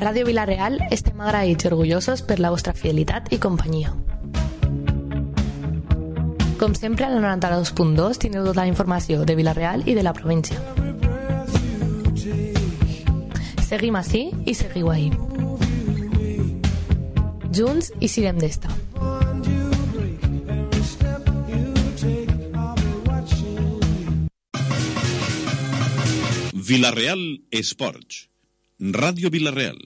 Ràdio Vila-real estem agraïts i orgullosos per la vostra fidelitat i companyia. Com sempre, a la 92.2 tindreu tota la informació de Vila-real i de la província. Seguim ací i seguiu ahí. Junts i siguem d'esta. Vila-real Esports. Radio Vila-real.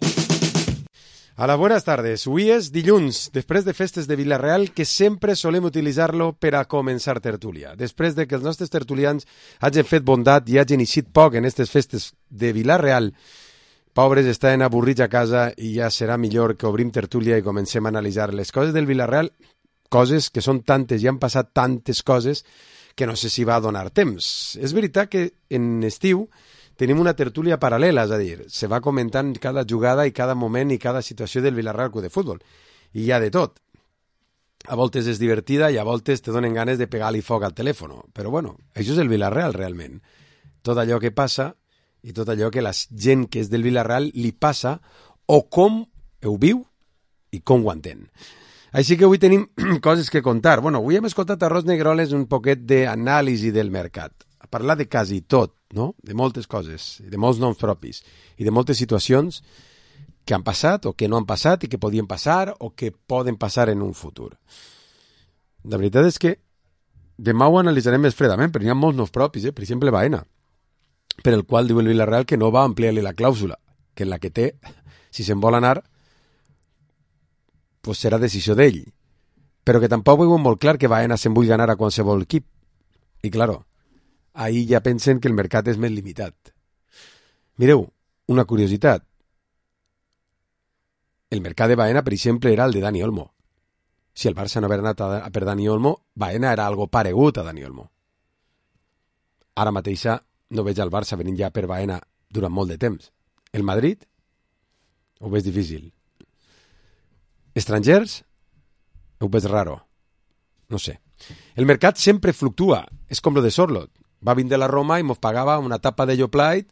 Hola, buenas tardes. Avui és dilluns, després de festes de Vila-real, que sempre solem utilitzar-lo per a començar tertúlia. Després de que els nostres tertulians hagin fet bondat i hagin eixit poc en aquestes festes de Vila-real, pobres estaven avorrits a casa i ja serà millor que obrim tertúlia i comencem a analitzar les coses del Vila-real, coses que són tantes i han passat tantes coses que no sé si va donar temps. És veritat que en estiu tenim una tertúlia paral·lela, és a dir, se va comentant cada jugada i cada moment i cada situació del Vila-real Club de Futbol. I hi ha de tot. A voltes és divertida i a voltes te donen ganes de pegar-li foc al telèfon. Però bueno, això és el Vila-real realment. Tot allò que passa i tot allò que la gent que és del Vila-real li passa o com ho viu i com ho entén. Així que avui tenim coses que contar. Bueno, avui hem escoltat a Ros Negroles un poquet d'anàlisi del mercat. A parlar de quasi tot, no? De moltes coses, de molts noms propis i de moltes situacions que han passat o que no han passat i que podien passar o que poden passar en un futur. La veritat és que demà ho analitzarem més fredament, però hi ha molts noms propis, per exemple Baena, per el qual diu el Vila-real que no va ampliar-li la clàusula, que en la que té, si se'n vol anar, pues serà decisió d'ell, però que tampoc veuen molt clar que Baena se'n vulgui anar a qualsevol equip. I claro, ahí ja pensen que el mercat és més limitat. Mireu, una curiositat. El mercat de Baena, per exemple, era el de Dani Olmo. Si el Barça no hagués anat per Dani Olmo, Baena era algo paregut a Dani Olmo. Ara mateixa no veig el Barça venint ja per Baena durant molt de temps. El Madrid ho veig difícil. Estrangers ho veig raro. No sé. El mercat sempre fluctua. És com lo de Sorlot. Va vindre la Roma i mos pagava una tapa de Yoplait,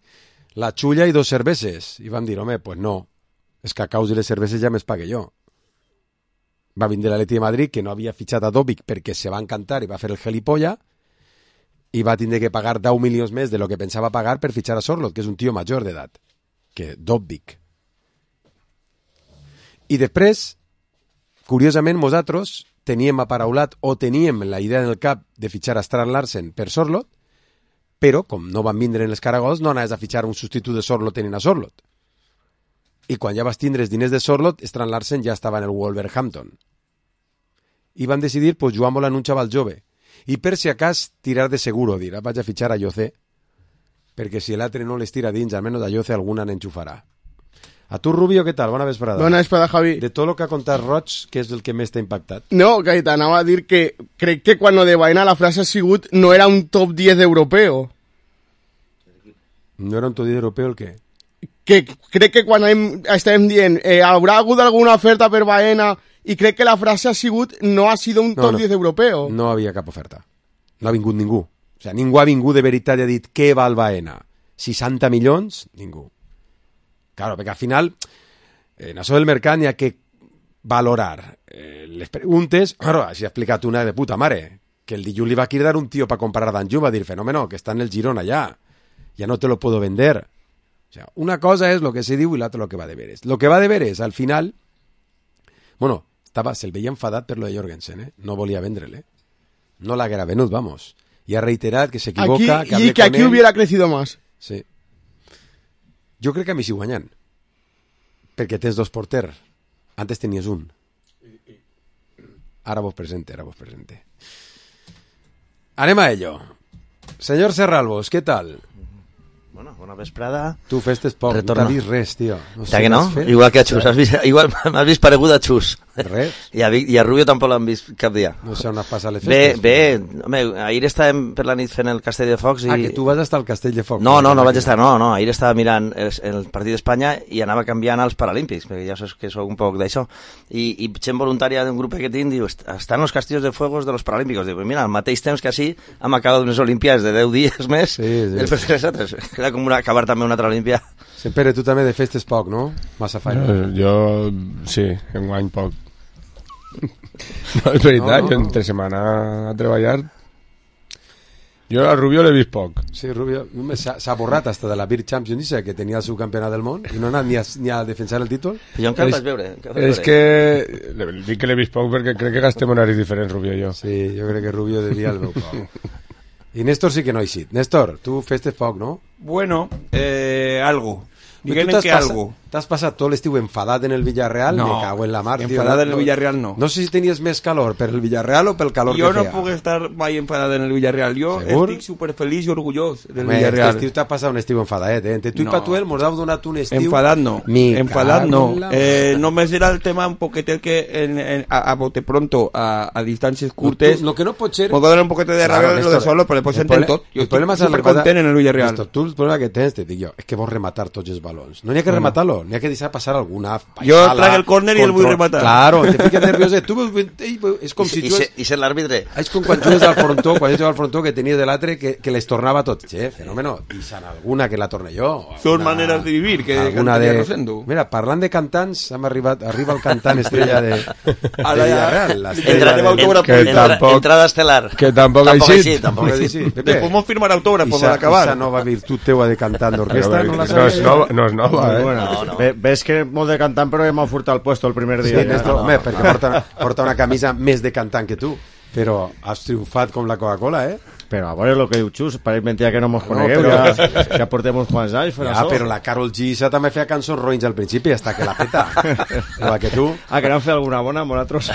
la xulla i 2 cerveses. I vam dir, home, pues no, els cacaus i les cerveses ja més pague jo. Va vindre l'Atleti de Madrid, que no havia fitxat a Dobic perquè se va encantar i va fer el gelipolla, i va tindre que pagar 10 milions més de lo que pensava pagar per fitxar a Sorlot, que és un tio major d'edat, que Dobic. I després, curiosament, nosaltres teníem aparaulat o teníem la idea en el cap de fitxar a Strand Larsen per Sorlot, però, com no van vindre en els caragols, no anaves a fitxar un substitut de Sorlot tenint a Sorlot. I quan ja vas tindre els diners de Sorlot, Strand Larsen ja estava en el Wolverhampton. I van decidir, pues, jugar-me-la en un xaval jove. I per si acas, tirar de seguro, dir, vaig a fitxar a José, perquè si l'altre no les tira dins, almenys a José alguna n'enxufarà. A tu, Rubio, què tal? Bona vesprada. Bona vesprada, Javi. De tot el que ha contat Roig, què és el que més t'ha impactat? No, que t'anava a dir que crec que quan lo de Baena la frase ha sigut no era un top 10 europeo. No era un top 10 europeo el què? Que crec que quan estàvem dient haurà hagut alguna oferta per Baena i crec que la frase ha sigut no ha sido un top 10 europeo. No havia cap oferta. No ha vingut ningú. O sigui, ningú ha vingut de veritat i ha dit què val Baena. 60 milions? Ningú. Claro, perquè al final, en això del mercat n'hi ha que valorar les preguntes. Claro, així ha explicat una de puta mare, que el dilluns li va cridar un tio para comprar a Danjú, va dir, fenómeno, que está en el Girona ya no te lo puedo vender. O sea, una cosa es lo que se diu i l'altra lo que va de veres. Lo que va de veres, al final, bueno, se'l veia enfadat per lo de Jorgensen, no volia vendre-le. No l'haguera venut, vamos. I ha reiterat que s'equivoca, aquí, que hable y que aquí él hubiera crecido más. Sí. Jo crec que a mi sí guanyant. Perquè tens 2 porters. Antes tenies un. Ara vos presente. Anem a ello. Señor Serralbos, ¿qué tal? Bona vesprada. Tu festes poc, no t'ha vist res, tio. No sé, que no? Igual que a Xus. Igual m'has vist paregut a Xus. Res? I a Rubio tampoc l'han vist cap dia. No sé on has passat les festes. Bé, home, ahir estàvem per la nit fent el Castell de Focs i... Ah, que tu vas estar al Castell de Focs. No vaig estar, no. Ahir estava mirant el partit d'Espanya i anava canviant als Paralímpics, perquè ja saps que soc un poc d'això. I gent voluntària d'un grup que tinc diu, estan los castillos de fuegos de los Paralímpicos. Diu, mira, al mateix temps que així hem acabat unes Olimpiades de 10 dies més. Sí. Era com acabar també una altra Olimpia. Sempre tu també de festes poc, no? Massa feina. Jo, sí, enguany poc. No, és veritat, jo entre setmana a treballar... Jo a Rubio l'he vist poc. Sí, Rubio s'ha borrat hasta de la Beer Champions, que tenia el seu campionat del món i no ha anat ni a defensar el títol. Jo encara el vaig veure. És que dic que l'he vist poc perquè crec que gastem horaris diferents, Rubio i jo. Sí, jo crec que Rubio devia el meu poc. I Néstor sí que no ha eixit. Néstor, tu festes poc, no? Bueno, algo. Diguem que algo. T'has passat tot l'estiu enfadat en el Villarreal? No, me cago en la mar. enfadat en el Villarreal no. No sé si tenies més calor per el Villarreal o pel calor Jo que no feia. puc estar mai enfadat en el Villarreal. Jo Segur? estic superfeliç i orgullós del Home, Villarreal. Este estiu t'ha passat un estiu enfadat, Entre tu i Patuel mos heu donat un estiu... Enfadat no. Enfadat no. Només era el tema un poquet el que a bote pronto, a distàncies curtes... Lo que no pot ser... M'ho va donar un poquet de ràbia lo de solo, però després s'entén tot. Jo estic supercontent en el Villarreal. Tu el problema que tens, te dic jo, és que vols rematar tots els balons. No n'hi ha que rematar-lo, n'hi ha que deixar passar alguna... Jo trac el córner i el vull rematar. Claro, te fiques nerviós. És com si tu... I ser l'àrbitre. És com quan jugues al frontó, que tenies de l'altre que les tornava tot. Fenòmeno. I s'han alguna que la torne jo. Són maneres de vivir que cantaria Rosendo. Mira, parlant de cantants, arriba el cantant estrella de Villarreal. Entrada estelar. Que tampoc ha eixit. Després mos firmar autògrafos per acabar. Esa nova virtut teua de cantant d'orquestra no és nova, Ves que molt de cantant però m'ha furtat el puesto el primer dia. Sí, Néstor, home, perquè porta una camisa més de cantant que tu, però has triomfat com la Coca-Cola, Però a veure el que diu Xus, pareix mentida que no mos conegueu, ja portem uns quants anys fent això. Però la Karol G també feia cançons roïns al principi, hasta que la peta. Igual que tu. Que n'han fet alguna bona amb nosaltres.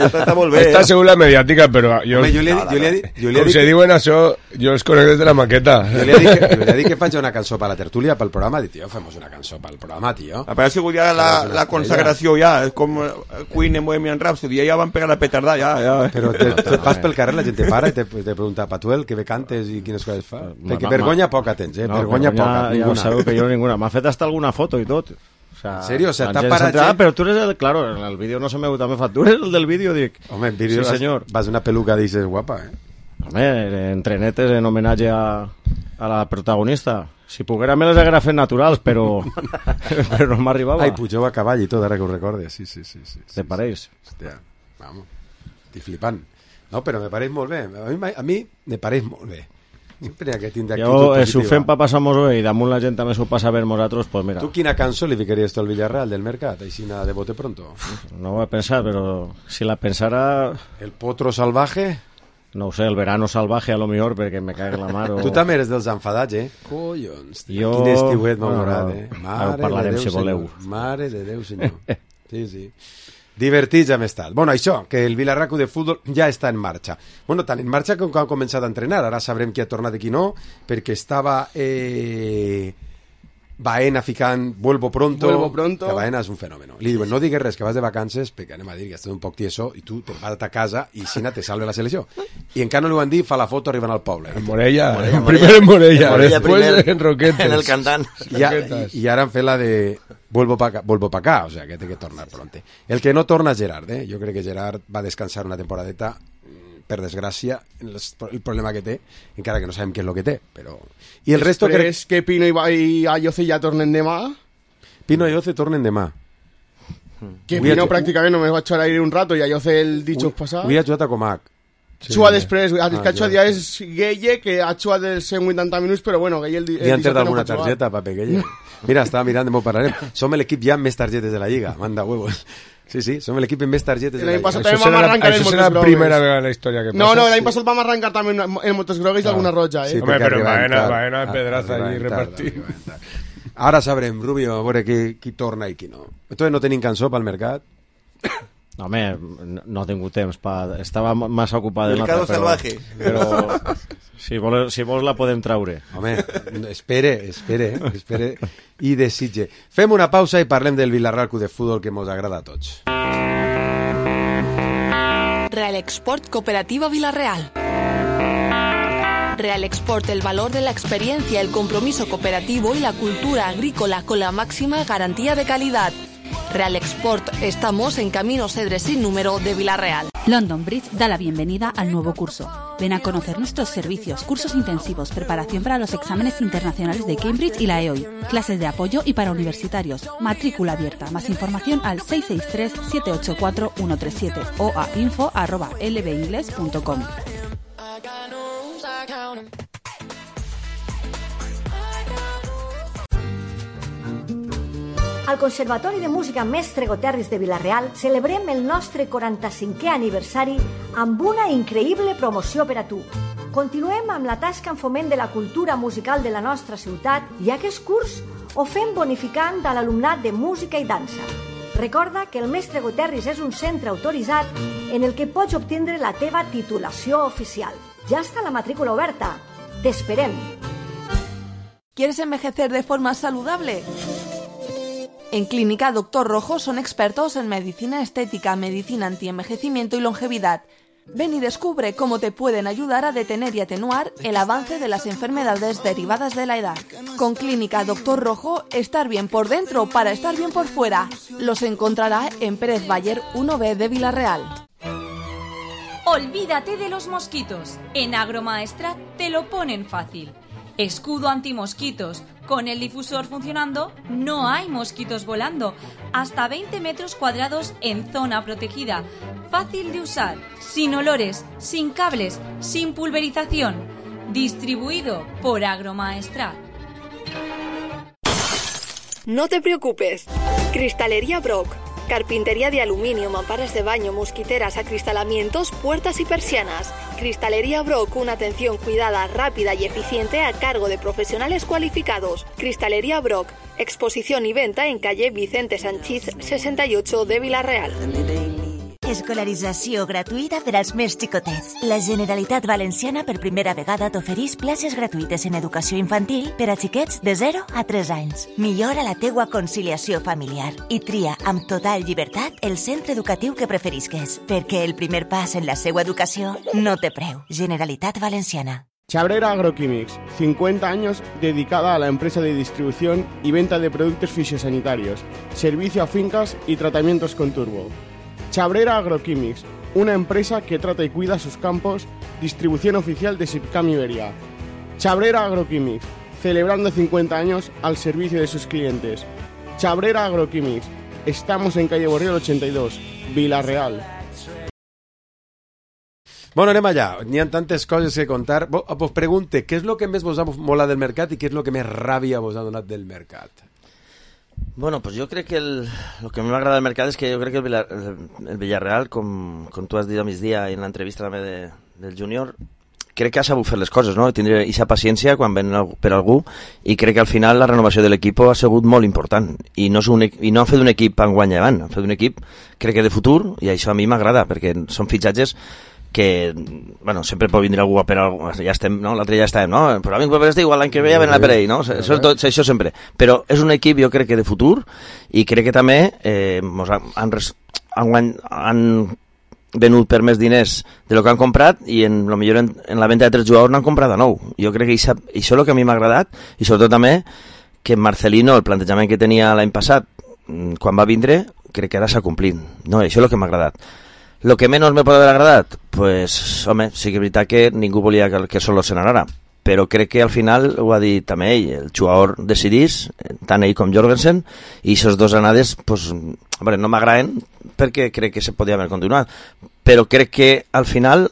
Està molt bé. Està segur la mediàtica, però jo com se diuen això, jo els conec des de la maqueta. Jo li he dit que faig una cançó per la tertúlia, pel programa, dic, tio, fem una cançó pel programa, tio. Però ha sigut ja la consagració, ja, és com Queen en Bohemian Rhapsody, ja van pegar la petarda, ja. Però vas pel carrer, la gent te para i te pregunta, Patuel, que bé cantes i quines coses fa? Perquè vergonya poca tens, vergonya poca, ninguna. Ja sabeu que jo ninguna. M'ha fet hasta alguna foto i tot. En serio? O sea, t'ha parat gent... Però tu eres el... Claro, en el vídeo no se m'ha també fa. Tu eres el del vídeo, dic. Home, en vídeo vas una peluca, dices, guapa, Home, en trenetes, en homenatge a la protagonista. Si poguera me les haguera fet naturals, però no m'arribava. Ai, pugeu a cavall i tot, ara que ho recordes. Sí. Te pareix? Hòstia, vamos, estic flipant. No, però me pareix molt bé. A mi me pareix molt bé. Sempre hi ha que tindre actitud positiva. Si ho fem per passar-nos bé i damunt la gent també s'ho passa bé nosaltres, pues mira. Tu quina cançó li ficaries tu al Villarreal del Mercat, així de bote pronto? No ho he pensat, però si la pensara... El potro salvaje? No ho sé, el verano salvaje a lo millor, perquè me cague la mar. Tu també eres dels enfadats, Collons, quin estiuet m'ha agradat, Ara ho parlarem si voleu. Mare de Déu, senyor. Sí. Divertits hem estat. Bueno, això, que el Vilarraco de futbol ja està en marxa. Bueno, tant en marxa com quan ha començat a entrenar. Ara sabrem qui ha tornat i qui no, perquè estava Baena ficant Vuelvo pronto. Que Baena és un fenòmeno. Li diuen, no digues res, que vas de vacances, perquè anem a dir que estàs un poc tieso i tu te'n vas a casa i Sina te salve la selecció. I encara no li van dir, fa la foto arribant al poble. En Morella. Primer en Morella, després en Roquetes. En el cantant. I ara han fet la de Vuelvo pa acá, o sea, que té que tornar pronte. El que no torna és Gerard, Jo crec que Gerard va descansar una temporadeta, per desgràcia, el problema que té, encara que no sabem què és el que té, però... I el resto crec... que Pino i Ayoce ja tornen demà? Pino i Ayoce tornen demà. Que Pino pràcticament només va jugar ahir un rato i Ayoce el dijous passat. Avui ha jugat a Comac. Xua després, el que ha jugat ja és Gueye, que ha jugat els 180 minuts, però bueno, Gueye el dijous... Li han tret alguna targeta, pape, Gueye. Mira, estava mirant, m'ho parlarem. Som l'equip ja amb més targetes de la Lliga, manda huevos. Sí, som l'equip amb més targetes de la Lliga. Això serà la primera vegada en la història que passa. No, l'any passat vam arrencar també en motos grogues d'alguna roja, Sí, home, però Baena pedraza allí repartit. Ara sabrem, Rubio, a veure qui torna i qui no. Entonces no tenim cançó pel mercat? No, home, no he tingut temps. Estava massa ocupat en Mercado Salvaje. Però si vols la podem traure. Home, espere i desitge. Fem una pausa i parlem del Villarreal Club de Futbol que ens agrada a tots. Real Export Cooperativa Villarreal. Real Export, el valor de la experiencia, el compromiso cooperativo y la cultura agrícola con la máxima garantía de calidad. Real Export, estamos en Camino Cedres sin número de Villarreal. London Bridge da la bienvenida al nuevo curso. Ven a conocer nuestros servicios, cursos intensivos, preparación para los exámenes internacionales de Cambridge y la EOI, clases de apoyo y para universitarios, matrícula abierta. Más información al 663-784-137 o a info@lbingles.com. Al Conservatori de Música Mestre Goterris de Vila-real celebrem el nostre 45è aniversari amb una increïble promoció per a tu. Continuem amb la tasca en foment de la cultura musical de la nostra ciutat i aquest curs ho fem bonificant a l'alumnat de música i dansa. Recorda que el Mestre Goterris és un centre autoritzat en el que pots obtindre la teva titulació oficial. Ja està la matrícula oberta. T'esperem. ¿Quieres envejecer de forma saludable? En Clínica Doctor Rojo son expertos en medicina estética, medicina antienvejecimiento y longevidad. Ven y descubre cómo te pueden ayudar a detener y atenuar el avance de las enfermedades derivadas de la edad. Con Clínica Doctor Rojo, estar bien por dentro para estar bien por fuera. Los encontrará en Pérez Bayer 1B de Vila-real. Olvídate de los mosquitos. En Agromaestrat te lo ponen fácil. Escudo antimosquitos. Con el difusor funcionando, no hay mosquitos volando. Hasta 20 metros cuadrados en zona protegida. Fácil de usar, sin olores, sin cables, sin pulverización. Distribuido por Agromaestrat. No te preocupes. Cristalería Brock. Carpintería de aluminio, mamparas de baño, mosquiteras, acristalamientos, puertas y persianas. Cristalería Brock, una atención cuidada, rápida y eficiente a cargo de profesionales cualificados. Cristalería Brock, exposición y venta en calle Vicente Sanchís 68 de Vila-real. Escolarització gratuïta per als més xicotets. La Generalitat Valenciana per primera vegada t'ofereix places gratuïtes en educació infantil per a xiquets de 0 a 3 anys. Millora la teua conciliació familiar i tria amb total llibertat el centre educatiu que preferisques, perquè el primer pas en la seva educació no té preu. Generalitat Valenciana. Chabrera Agroquímics, 50 años dedicada a la empresa de distribución y venta de productos fisiosanitarios, servicio a fincas y tratamientos con turbo. Chabrera Agroquímics, una empresa que trata y cuida sus campos, distribución oficial de Sipcam Iberia. Chabrera Agroquímics, celebrando 50 años al servicio de sus clientes. Chabrera Agroquímics, estamos en calle Borriol 82, Vila-real. Bueno, anem allà. N'hi ha tantes coses que contar. Vos pregunte, què és el que més vos ha molat del mercat i què és el que més ràbia vos ha donat del mercat? Bueno, pues yo creo que lo que me agrada del mercado es que yo creo que el Villarreal, com tu has dit a migdia i en l'entrevista també del júnior, crec que ha sabut fer les coses, no? Tindre aquesta paciència quan ven per algú, i crec que al final la renovació de l'equip ha sigut molt important, i no han fet un equip enguany avant, han fet un equip, crec que de futur, i això a mi m'agrada, perquè són fitxatges que, bueno, sempre pot vindre algú per algú, ja estem, no? L'altre ja estem, no? Però a mi per igual l'any que ve ja ven per ell, no? Això sempre. Però és un equip, jo crec que de futur, i crec que també han venut per més diners de lo que han comprat, i millor en la venda de 3 jugadors n'han comprat de nou. Jo crec que això és el que a mi m'ha agradat, i sobretot també que Marcelino, el plantejament que tenia l'any passat, quan va vindre, crec que ara s'ha complit. No, això és el que m'ha agradat. Lo que menos me pot haver agradat, pues, home, sí que és veritat que ningú volia que solo se n'anara, però crec que al final ho ha dit també ell, el jugador decidís, tant ell com Jorgensen, i aquestes dues anades, pues, hombre, no m'agraden perquè crec que se podia haver continuat, però crec que al final,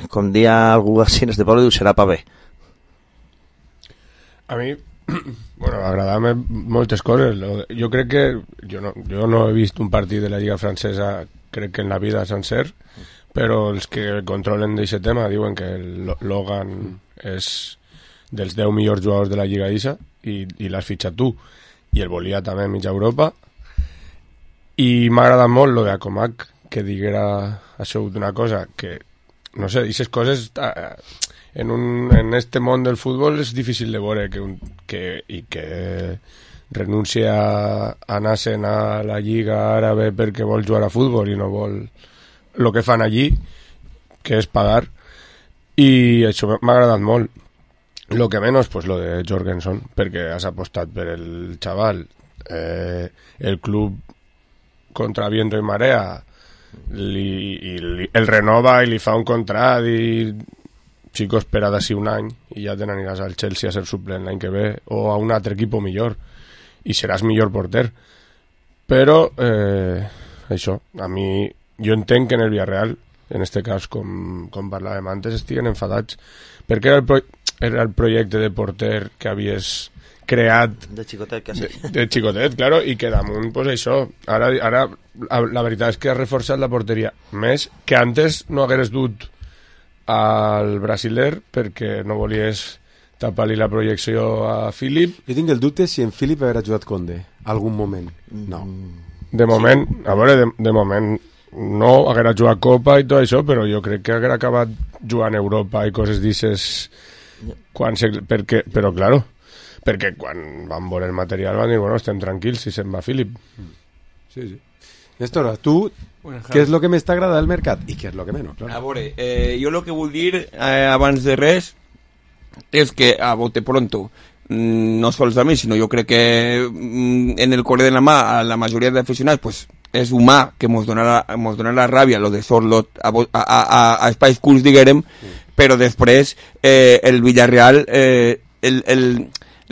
com dia algú així en este poble, diu, serà pa bé. A mi, bueno, m'agradaven moltes coses. Jo crec que jo no he vist un partit de la Lliga Francesa, crec que en la vida sencer, però els que controlen d'aquest tema diuen que Logan és dels 10 millors jugadors de la Lliga ISA i l'has fitxat tu, i el volia també a mitja Europa, i m'ha agradat molt lo de Acomac, que diguera això d'una cosa que, no sé, aquestes coses en este món del futbol és difícil de veure que renuncia a anar-se'n a la Lliga Àrabe perquè vol jugar a futbol i no vol el que fan allí, que és pagar, i això m'ha agradat molt. Lo que menos, pues lo de Jorgensen, perquè has apostat per el xaval, el club contra viento i marea el renova i li fa un contrat i xico, espera d'ací un any i ja te n'aniràs al Chelsea a ser suplent l'any que ve o a un altre equip millor i seràs millor porter. Però això, a mi jo entenc que en el Villarreal, en este cas com parlàvem antes, estiguen enfadats perquè era el projecte de porter que havies creat de xicotet, quasi. De xicotet, claro, i que damunt, pues això, ara la veritat és que ha reforçat la porteria més que antes no hagueres dut al brasiler perquè no volies tapar-li la projecció a Philip. Jo tinc el dubte si en Philip haurà jugat Conde algun moment. No. De moment, a veure, de moment no haguera jugat Copa i tot això, però jo crec que haguera acabat jugant a Europa i coses d'ixes però claro, perquè quan van veure el material van dir, bueno, estem tranquils si se'n va Philip. Sí. Néstor, tu, què és el que més t'agrada del mercat i què és el que menys? Claro. A veure, jo el que vull dir abans de res és que a bote pronto, no sols a mi, sinó jo crec que en el core de la mà a la majoria d'aficionats pues, és humà que mos dona la ràbia lo de Sorlot a espais curts, diguem, però després el Villarreal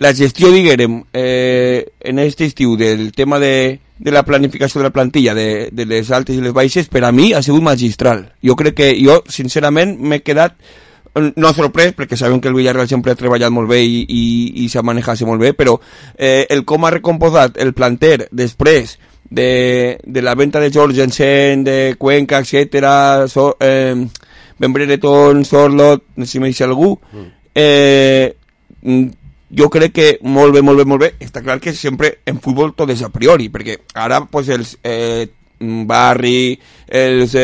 la gestió, diguem, en aquest estiu del tema de la planificació de la plantilla, de les altes i les baixes, per a mi ha sigut magistral. Jo crec que jo, sincerament, m'he quedat no sorprès, perquè sabem que el Villarreal sempre ha treballat molt bé i s'ha manejat molt bé, però el com ha recomposat el planter després de la venta de Jorgensen, de Cuenca, etcètera, Ben Brereton, Sorlot, no sé si m'hi deixa algú, jo crec que molt bé. Està clar que sempre en futbol tot és a priori, perquè ara pues, els Barri, els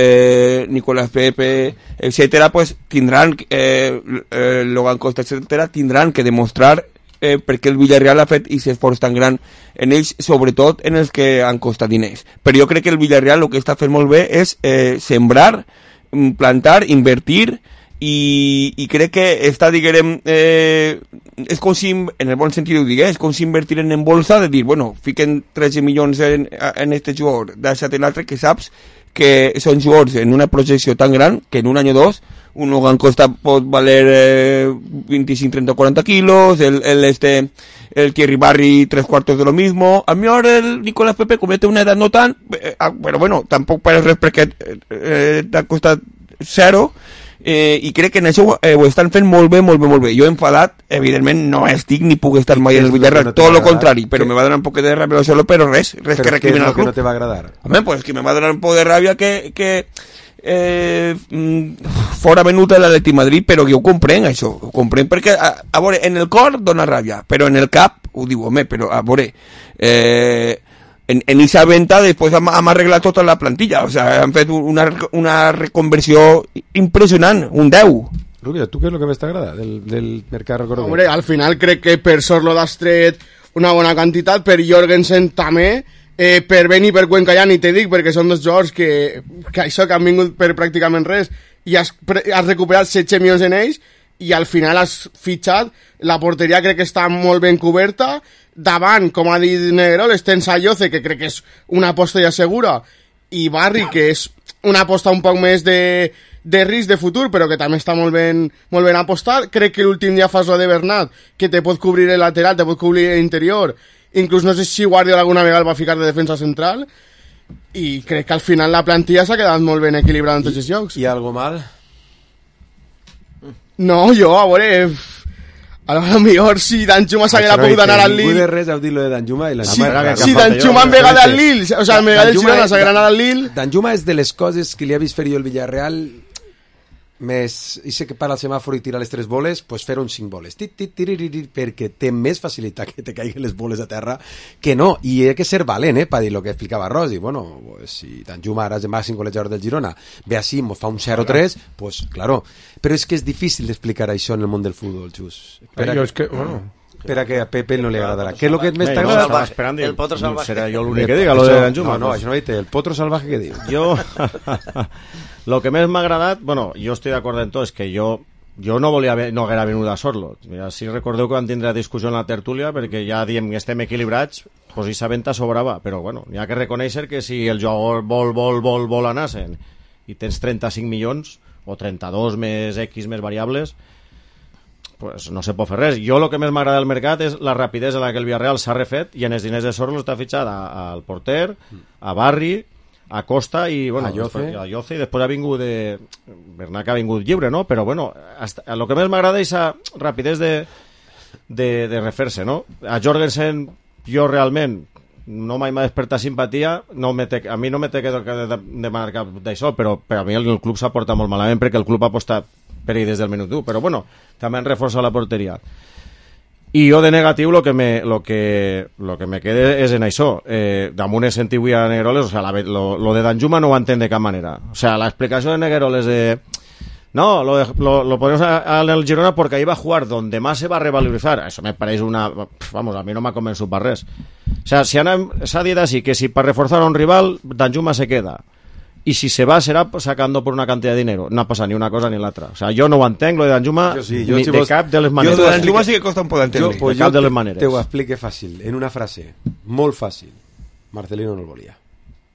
Nicolás Pepe, etcètera, pues, tindran Logan Costa, etcètera, tindran que demostrar perquè el Villarreal ha fet aquest esforç tan gran en ells, sobretot en els que han costat diners. Però jo crec que el Villarreal el que està fent molt bé és sembrar, plantar, invertir, i crec que està, diguem, és com si, en el bon sentit ho digués, és com si invertiren en bolsa de dir, bueno, fiquen 13 milions en este jugador, deixa't l'altre, que saps que són jugadors en una projecció tan gran que en un any o dos un Logan Costa pot valer 25, 30, 40 quilos, el Thierry Barry 3/4 de lo mismo, a mí ahora el Nicolás Pepe comete una edad no tan, però bueno, tampoc per res perquè t'ha costat zero, i crec que en això ho estan fent molt bé. Jo enfadat, evidentment no estic ni puc estar mai en el Villarreal, tot el contrari, però me va donar un poc de ràbia solo, però res que recrimina al club. ¿Qué no te va a agradar? Home, pues que me va donar un poc de ràbia que fora venut a l'Atleti Madrid, però jo ho comprenc, això, ho comprenc perquè, a veure, en el cor dona ràbia, però en el cap ho diu, home, però a veure, en esa venta después han arreglat tota la plantilla, o sea, han fet una reconversió impressionant, un 10. Rubio, ¿tú qué es lo que més t'agrada del mercat? Hombre, al final crec que per Sorlot has tret una bona quantitat, per Jorgensen també, per Ben i per Cuenca ja ni te dic, perquè són dos jugadors que això que han vingut per pràcticament res i has recuperat 16 milions en ells i al final has fitxat, la porteria crec que està molt ben coberta, davant, com ha dit Negrol, tens a Yoce, que crec que és una aposta ja segura, i Barri, que és una aposta un poc més de risc de futur, però que també està molt ben apostat. Crec que l'últim dia fas la de Bernat, que te pot cobrir el lateral, te pot cobrir l'interior, inclús no sé si Guardiola alguna vegada el va ficar de defensa central, i crec que al final la plantilla s'ha quedat molt ben equilibrada en tots els llocs. I algo mal? No, jo, a veure, a lo millor si Danjuma s'haguera pogut anar al Lille... Ningú de res heu dit lo de Danjuma i la... Si Danjuma en vegada al Lille, o sea, en vegada del Girona s'haguera anat al Lille... Danjuma és de les coses que li ha vist fer jo el Villarreal més... I sé que para el semàfor i tira les 3 boles, pues fer un 5 boles. Perquè té més facilitat que te caiguen les boles a terra que no. I hi ha que ser valent, per dir el que explicava Rosi. Bueno, pues, si Danjuma ara és el màxim golejador del Girona, ve així, mos fa un 0-3, pues claro. Però és que és difícil d'explicar això en el món del futbol, Xus. Espera que a Pepe no li agradarà. Què és el que més t'agrada? El Potro Salvaje. Serà jo l'únic que diga, lo de Danjuma. No, això no ho he dit, el Potro Salvaje que diu. Jo... Lo que més m'ha agradat, bueno, jo estic d'acord en tot, és que jo no haguera venut a Sorlot. Mira, si recordeu que vam tindre discussió en la tertúlia, perquè ja diem que estem equilibrats, pues aquesta venta sobrava, però bueno, n'hi ha que reconèixer que si el jugador vol anar-se'n i tens 35 milions, o 32 més X més variables, pues no se pot fer res. Jo el que més m'agrada del mercat és la rapidesa en la que el Villarreal s'ha refet i en els diners de Sorlo està fitxat al porter, a Barri, a Costa i bueno, a Lloce, i després ha vingut Bernat, que ha vingut lliure, no? Però bueno, el que més m'agrada és la rapidesa de refer-se, no? A Jorgensen jo realment no mai m'ha despertat simpatia, a mi no me té que demanar cap d'això, però per a mi el club s'ha portat molt malament perquè el club ha apostat per ell des del minut 1, però bueno, també han reforçat la porteria. I jo de negatiu lo que me queda és en això. Damunt he sentit avui a Negueroles, o sea, lo de Danjuma no ho entenc de cap manera. O sea, la explicació de Negueroles de... No, lo ponemos en el Girona porque ahí va a jugar donde más se va a revalorizar. Eso me parece una... Vamos, a mí no m'ha convençut per res. O sea, s'ha dit així que si per reforzar a un rival, Danjuma se queda. Y si se va, será sacando por una cantidad de dinero. No pasa ni una cosa ni l'altra. O sea, yo no ho entenc, lo de Danjuma, ni de cap de les maneres. Jo de Danjuma sí que costa un poc d'entendre. De cap de les maneres. Te ho explique fàcil, en una frase, molt fàcil. Marcelino no el volia.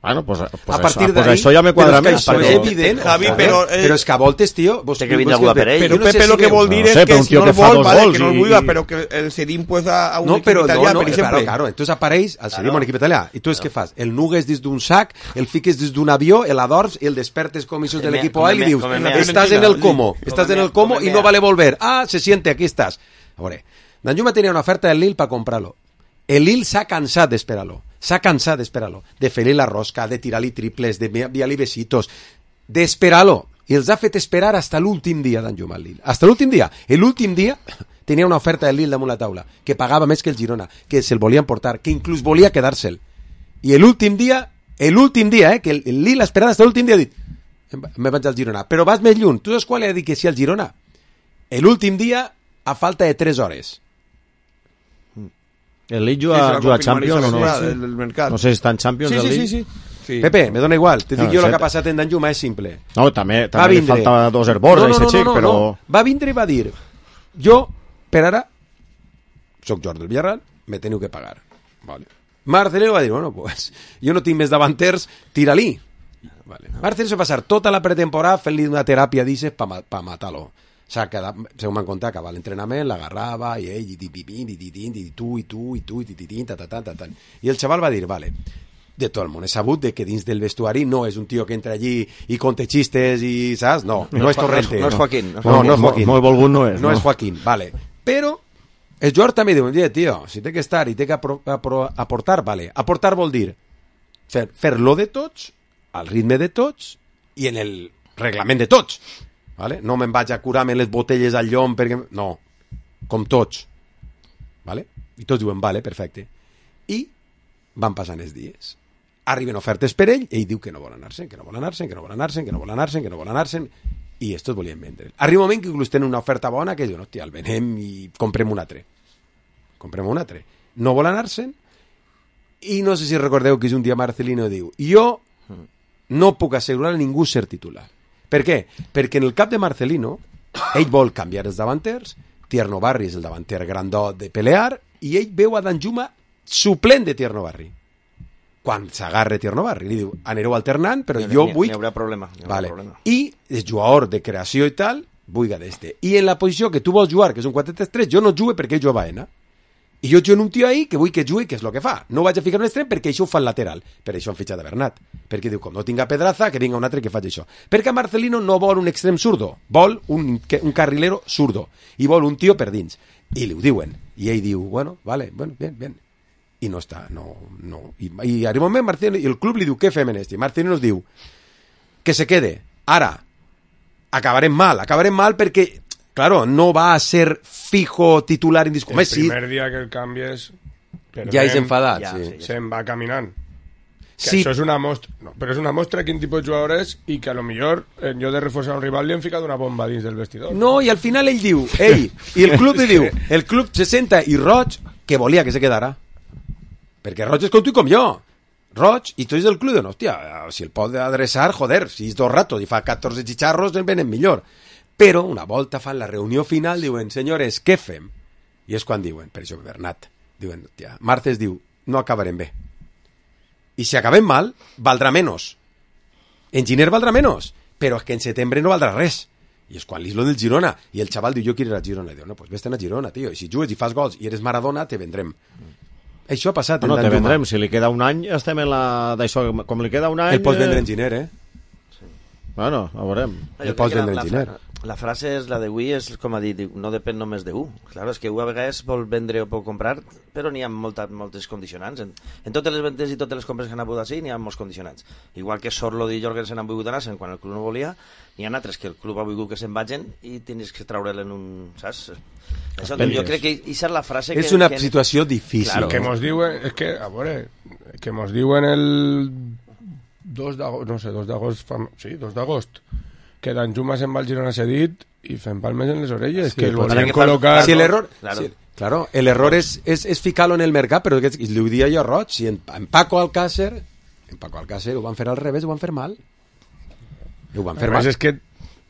Bueno, pues a partir d'ahí... Això ja me quadra més. Però és evident, Javi, però és que a voltes, tio... Té que vindre algú per ell. Però Pepe lo que vol dir és que si no el vol, que no el vulga, però que el cedim pues a un equip italià, per exemple. Claro, entonces apareix el cedim a un equip italià. I tu què fas? El nugues dins d'un sac, el fiques dins d'un avió, el adorms, el despertes com això de l'equip A i li dius, estàs en el Como i no vale volver. Ah, se siente, aquí estàs. A veure, Danjuma tenia una oferta del Lille per comprar-lo. El Lille s'ha cansat d'esperar-lo. De fer-li la rosca, de tirar-li triples, de enviar-li besitos, d'esperar-lo. I els ha fet esperar hasta l'últim dia, Danjuma, al Lille. Hasta l'últim dia. L'últim dia tenia una oferta del Lille damunt la taula, que pagava més que el Girona, que se'l volien portar, que inclús volia quedar-se'l. I l'últim dia, que el Lille ha esperat hasta l'últim dia, ha dit, me vaig al Girona. Però vas més lluny. Tu saps qual ha dit que sí al Girona? L'últim dia, a falta de 3 hores. El Lille juga a Champions o no? No sé si està en Champions el Lille. Sí. Pepe, me dona igual. Te dic jo el que ha passat en Danjuma és simple. No, també li falta 2 herboros a aquest xic, però... Va vindre i va dir, jo, per ara, soc Jordi del Villarreal, me teniu que pagar. Vale. Marcelino va dir, bueno, pues, jo no tinc més davanters, tira-li. Vale. Marcelino se va passar tota la pretemporada fent-li una teràpia d'ixes pa matar-lo. O sea, según m'han contat, acaba l'entrenament, l'agarrava, i ell, i tu, i el xaval va dir, vale, de tot el món he sabut de que dins del vestuari no és un tio que entra allí i conte xistes i, saps? No és Torrente. No és Joaquín. No és Joaquín. Molt volgut no és. No és Joaquín, vale. Però el Joan també diu, tio, si té que estar i té que aportar, vale. Aportar vol dir fer-lo de tots, al ritme de tots i en el reglament de tots. Vale? No me'n vaig a curar-me les botelles al llom perquè... No, com tots. Vale? I tots diuen, vale, perfecte. I van passant els dies. Arriben ofertes per ell, ell diu que no vol anar-se'n, i estos volien vendre. Arriba un moment que inclús tenen una oferta bona que diuen, hòstia, el venem i comprem un altre. No vol anar-se'n, i no sé si recordeu que un dia Marcelino diu, jo no puc assegurar a ningú ser titular. Per què? Perquè en el cap de Marcelino ell vol canviar els davanters, Tierno Barri és el davanter grandot de pelear, i ell veu a Danjuma suplent de Tierno Barri. Quan s'agarra Tierno Barri, li diu, anireu alternant, però jo vull... N'hi haurà problema. I el jugador de creació i tal, vull d'este. I en la posició que tu vols jugar, que és un 4-3-3, jo no jugue perquè ell juga a Baena. I jo jugo en un tio ahí que vull que jugui, que és el que fa. No vaig a ficar un extrem perquè això ho fa el lateral. Per això han fitxat a Bernat. Perquè diu, com no tinga Pedraza, que vinga un altre que faci això. Perquè Marcelino no vol un extrem zurdo. Vol un carrilero zurdo. I vol un tio per dins. I li ho diuen. I ell diu, bueno, vale, bueno, bien. I no està, no. I arriba un moment, Marcelino, i el club li diu, què fem en este? I Marcelino nos diu, que se quede. Ara, acabarem mal perquè... Claro, no va a ser fijo titular indiscutible. El primer dia que el canvies... Ja és enfadat, sí. Se'n va caminant. Sí. Això és una mostra... No, però és una mostra de quin tipus de jugador és i que a lo millor, en lloc de reforçar un rival, li han ficat una bomba dins del vestidor. No, i al final ell diu... i el club li diu... El club se senta i Roig, que volia que se quedara. Perquè Roig és com tu i com jo. Roig, i tu ets del club, no, hòstia, si el pot adreçar, joder, si és 2 ratos i fa 14 xicharros, el venen millor. Però una volta fan la reunió final, diuen, senyores, què fem? I és quan diuen, per això Bernat, diuen, tia, Martes diu, no acabarem bé. I si acabem mal, valdrà menos. En Giner valdrà menos. però és que en setembre no valdrà res. I és quan l'Islo del Girona, i el xaval diu, jo quiero ir a Girona, i diu, no, pues vés-te'n a Girona, tio, i si jugues i fas gols i eres Maradona, te vendrem. Això ha passat. No, te vendrem, si li queda un any, estem en la d'això, com li queda un any... El pots vendre en Giner, Sí. Bueno, ho veurem. El pots vendre en Giner. La frase és la de Wii, és com a dir, no depèn només de Claro, és que a vegades vol vendre o pot comprar, però n'hi ha moltes condicionants. En totes les ventes i totes les compres que han hagut així, n'hi ha molts condicionants. Igual que Sorloth i Jorgensen han volgut anar-se'n quan el club no volia, n'hi ha altres que el club ha volgut que se'n vagin i tens que treure'l en un... Saps? Això, jo crec que aquesta és la frase que... És una situació difícil. Claro, que mos diuen, és que, a veure, que mos diuen el 2 d'agost, no sé, 2 d'agost, sí, 2 d'agost, que Danjuma se'n va al Girona cedit i fent palmes en les orelles, que el volien col·locar... Si l'error... Claro, el error és ficar-lo en el mercat, però li ho dia jo Roig, si en Paco Alcácer ho van fer al revés, ho van fer mal. Ho van fer mal. És que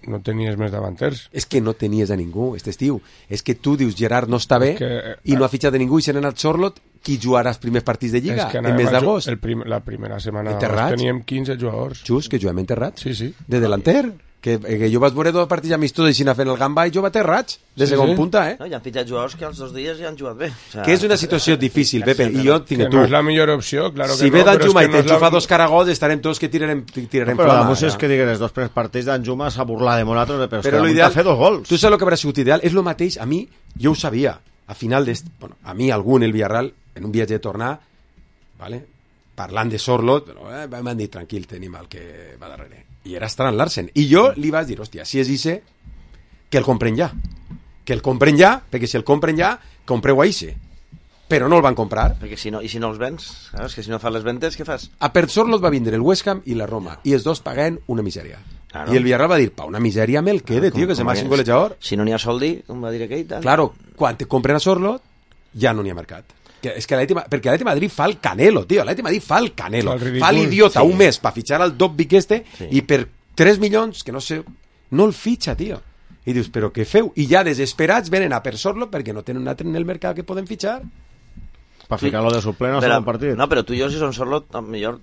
no tenies més davanters. És que no tenies a ningú, aquest estiu. És que tu dius, Gerard no està bé, i no ha fitxat a ningú, i se n'ha anat Sorloth, qui jugarà els primers partits de Lliga, en mes d'agost. La primera setmana d'agost teníem 15 jugadors. Just, que juguem enterrats. Sí. De delanter. Que jo vaig veure 2 partits amistosos i anar fent el gamba i jo va aterrats, de segon punta, No, i han fitxat jugadors que els 2 dies ja han jugat bé. Que és una situació difícil, Pepe, i jo tinc que tu. No és la millor opció, claro que si ve Danjuma i t'enxufa 2 caragols, estarem tots que tirarem però flama. la música és que diguin els 2 primers partits d'Danjuma s'ha burlat de Monatos, però l'ideal, fer 2 gols. Tu saps el que haurà sigut ideal? És el mateix, a mi, jo ho sabia, a final bueno, a mi algú en el Villarreal, en un viatge de tornar, ¿vale? Parlant de Sorloth, m'han dit, tranquil, tenim el que va darrere. I era Strand Larsen. I jo li vaig dir, hòstia, si és Ise, que el compren ja. Que el compren ja, perquè si el compren ja, compreu a Ise. Però no el van comprar. Perquè si no els vens, saps? Que si no fas les ventes, què fas? A per Sorloth va vindre el West Ham i la Roma, i els 2 paguen una misèria. Claro. I el Villarreal va dir, pa una misèria me el quede, tio, que se m'ha sin golejador. Si no n'hi ha soldi, com va dir aquell, tal. Claro, quan te compren a Sorloth, ja no n'hi ha mercat. És que perquè l'Atleti Madrid fa el Canelo, tio, l'Atleti Madrid fa el Canelo, fa l'idiota un mes per fitxar al Dobbik i per 3 milions, que no sé, no el fitxa, tio. I dius, però què feu? I ja desesperats venen a per Sorloth perquè no tenen un altre en el mercat que poden fitxar. Per ficar-lo de suplent al segon partit. No, però tu i jo, si són Sorloth, millor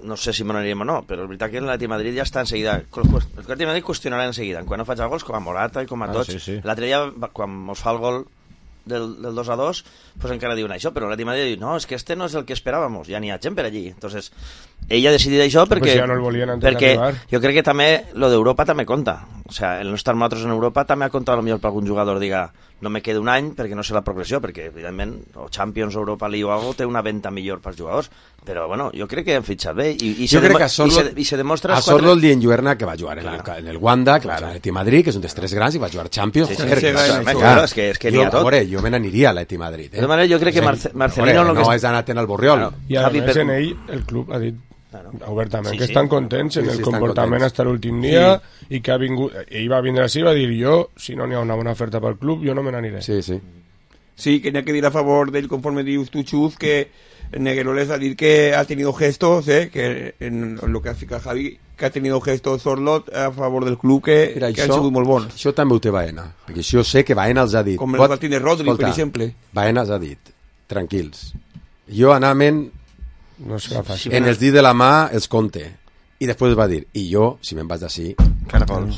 no sé si m'aniríem o no, però és veritat que l'Atleti Madrid ja està en seguida. L'Atleti Madrid qüestionarà en seguida, quan no faig gols, com a Morata i com a tots. L'altre dia, quan mos fa el gol del 2-2, pues encara diuen això, però l'Atleti Madrid diu, no, és que este no és el que esperàvamos, ja n'hi ha gent per allí. Entonces, ella ha decidit això perquè, ja no el volien perquè jo crec que també lo d'Europa també compta. O sea, el no estar nosaltres en Europa també ha comptat potser per algun jugador diga, no me queda un any perquè no sé la progressió, perquè evidentment o Champions o Europa League o algo té una venta millor pels jugadors, però bueno, jo crec que han fitxat bé i se demostra a Sorloth li enlluerna que va jugar en el Wanda, que va jugar a l'Atleti Madrid, que és un dels 3 grans, i va jugar Champions. És que n'hi ha tot. Jo me n'aniria a l'Atleti Madrid. De manera, jo crec que Marcelino no és anat en el Borriol. I a més en ell, el club ha dit obertament que estan contents en el comportament fins a l'últim dia i que ha vingut, ell va vindre així i va dir, jo, si no n'hi ha una bona oferta pel club, jo no me n'aniré. Sí, que n'hi ha que dir a favor d'ell, conforme dius tu, Chuz, que Negueroles ha dit que ha tenido gestos, que en lo que ha ficat Javi, que ha tenido gestos Sorloth a favor del club que han sigut molt bons. Això també ho té Baena, perquè això sé que Baena els ha dit. Com el partit de Rodri, per exemple. Baena els ha dit, tranquils. Jo anament no serà fàcil. En els dits de la mà els compte. I després va dir, i jo, si me'n vas d'ací,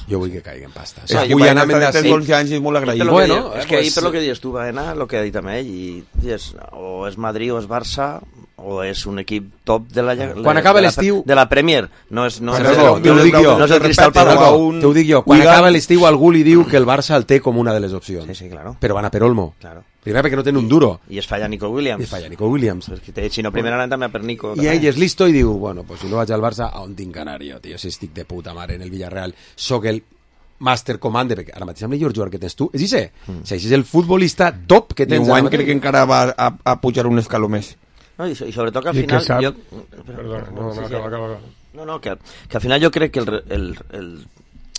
jo vull que caigui en pasta. Vull anar d'ací. És molt agraït. Bueno, és que ahir, per lo que dius tu, va anar, el que ha dit també ell, i dius, o és Madrid o és Barça, o és un equip top de la quan acaba l'estiu de la Premier, no és el Cristal Palace. T'ho dic jo, quan acaba l'estiu algú li diu que el Barça el té com una de les opcions. Sí, claro. Però van a per Olmo. Primer perquè no tenen un duro. I es falla Nico Williams. Si no, primer anant també per Nico. I ell és listo i diu, bueno, pues si no vaig al Barça, a on tinc anar jo, tio? Si estic de puta mare en el Villarreal, soc el Master Commander, perquè ara mateix amb el jugador que tens tu, és Ise. Si és el futbolista top que tens. I un crec que encara va a pujar un escaló més. No, i sobretot que al final... Perdona, que al final jo crec que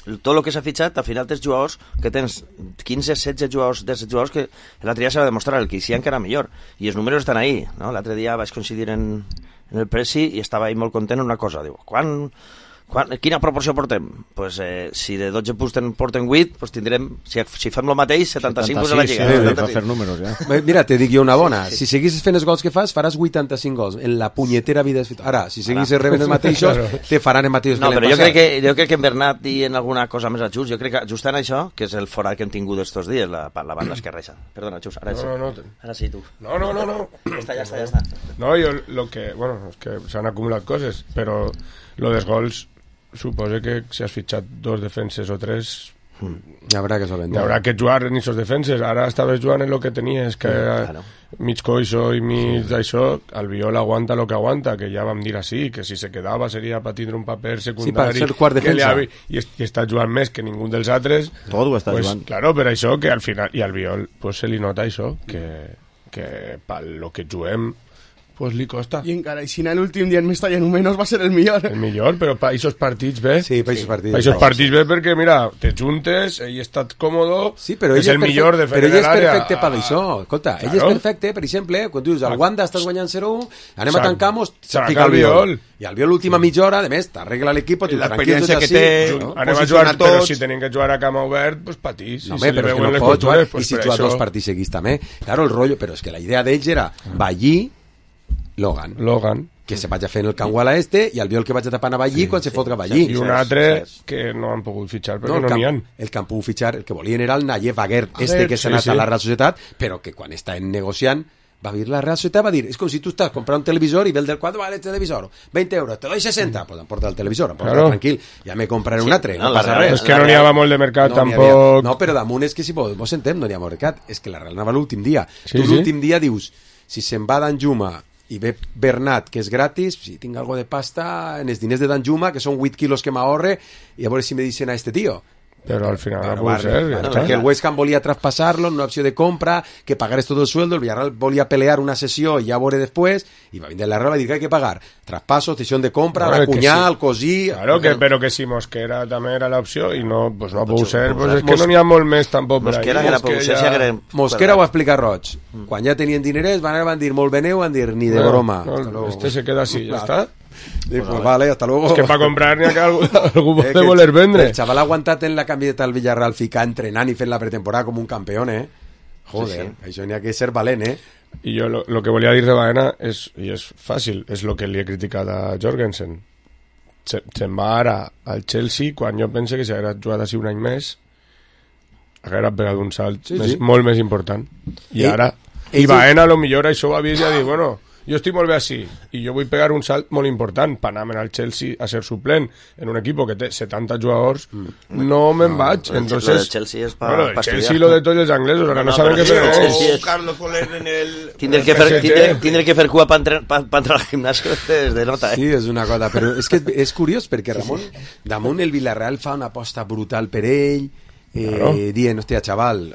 tot el que s'ha fitxat, al final tens jugadors que tens 15-16 jugadors d'aquests jugadors que l'altre dia s'ha de demostrar el que hi encara millor, i els números estan ahí, no? L'altre dia vaig coincidir en el Presi i estava ahí molt content en una cosa, diu, quan Quina proporció portem? Pues, si de 12 punts porten 8, pues tindrem, si fem el mateix, 75 punts a la Lliga. Sí, per fer números, ja. Mira, te dic jo una bona. Si seguissis fent els gols que fas, faràs 85 gols. En la punyetera vida... Ara, si seguissis rebent els mateixos, te faran els mateixos no, que l'hem però passat. jo crec que en Bernat i en alguna cosa més a Xus, jo crec que just en això, que és el forat que hem tingut estos dies, la banda esquerra. Perdona, Xus, ara sí, tu. No. Ja està. No, jo lo que... Bueno, és que s'han acumulat coses, però lo dels gols suposa que si has fitxat 2 defenses o 3 hi haurà que solventar. Hi haurà que jugar en aquests defenses. Ara estaves jugant en el que tenies, que mig coixo i mig d'això, Albiol aguanta el que aguanta, que ja vam dir així, que si se quedava seria per tindre un paper secundari, per ser quart defensa. I està jugant més que ningú dels altres. Tot ho està jugant. Claro, per això que al final, i Albiol pues, se li nota això, que per lo que juguem pues li costa. I encara, i si en l'últim dia en Mestalla números va ser el millor. El millor, però per aquests partits bé. Sí, per aquests partits. Per aquests partits bé perquè, mira, te juntes, ell està còmodo, sí, però és el millor de fer l'àrea. Però ell és l'àrea. perfecte per això. Escolta, ell és perfecte, per exemple, quan tu dius, al Wanda estàs guanyant 0-1, anem a tancar-nos, fica el Albiol. I Albiol l'última mitja hora, a més, t'arregla l'equip, l'experiència que té, anem a jugar, però si tenim que jugar a camp obert, pues patís. No, però és que no pots jugar, i si jugar 2 partits seguits també. Claro, el rotllo, però és que la idea d'ells era Ballí, Logan, que se vagi fent el Canguala i Albiol que vaig a tapar a Ballí quan se fotka Ballí. I un altre que no han pogut fitxar perquè no n'hi ha. El que han pogut fitxar, el que volien era el Nayev Aguert, que s'ha anat a la Real Societat, però que quan està negociant va dir la Real Societat, va dir, és com si tu estàs comprant un televisor i ve el del quadre, vale, el televisor, 20 euros, te doy 60, pues em porta el televisor, em porta tranquil, ja me compraré un altre, no passa res. És que no n'hi havia molt de mercat, tampoc. No, però damunt és que si vos sentem, no n'hi ha mercat, és que la Real anava l'últim dia. Tu l'últim dia dius, si se'n va d'Anjuma i ve Bernat, que és gratis, si tinc algo de pasta en els diners de Danjuma, que són 8 quilos que m'ahorre, i a veure si me dicen a este tío. Pero al final no puede ser. Porque el West Ham volía traspasarlo en una opción de compra, que pagares todo el sueldo, el Villarreal volía pelear una sesión y ya veré después, y va a venir la Real y dir que hay que pagar traspaso, cesión de compra, la cuñal, cosí... Claro, però que si Mosquera també era l'opció i no, pues no ha pogut ser, pues és que no n'hi ha molt més tampoc per ahí. Mosquera ho explica Roig. Quan ja tenien dinerets van dir molt beneu, van dir ni de broma. Este se queda así, ya está. Pues vale, hasta luego. Es que para comprar ni acá algú pot de voler vendre. El chaval ha aguantat en la camiseta del Villarreal ficar entrenant i fent la pretemporada com un campeón, Joder, això n'hi ha que ser valent, I jo lo que volia dir de Baena és, i és fàcil, és lo que li he criticat a Jorgensen. Se'n va ara al Chelsea quan jo pense que si hagués jugat així un any més hagués pegat un salt molt més important. I ara, i Baena a lo millor això ho havia de dir, bueno, jo estic molt bé així i jo vull pegar un salt molt important per anar al Chelsea a ser suplent en un equip que té 70 jugadors no me'n vaig. Entonces, el Chelsea és el Chelsea lo de tots els anglesos ahora no saben què fer. Carlos Soler en el... Tindre que fer cua per entrar al gimnasio és de nota, Sí, és una cosa, però és que és curiós perquè Ramon, damunt el Villarreal fa una aposta brutal per ell, dient, hòstia, xaval,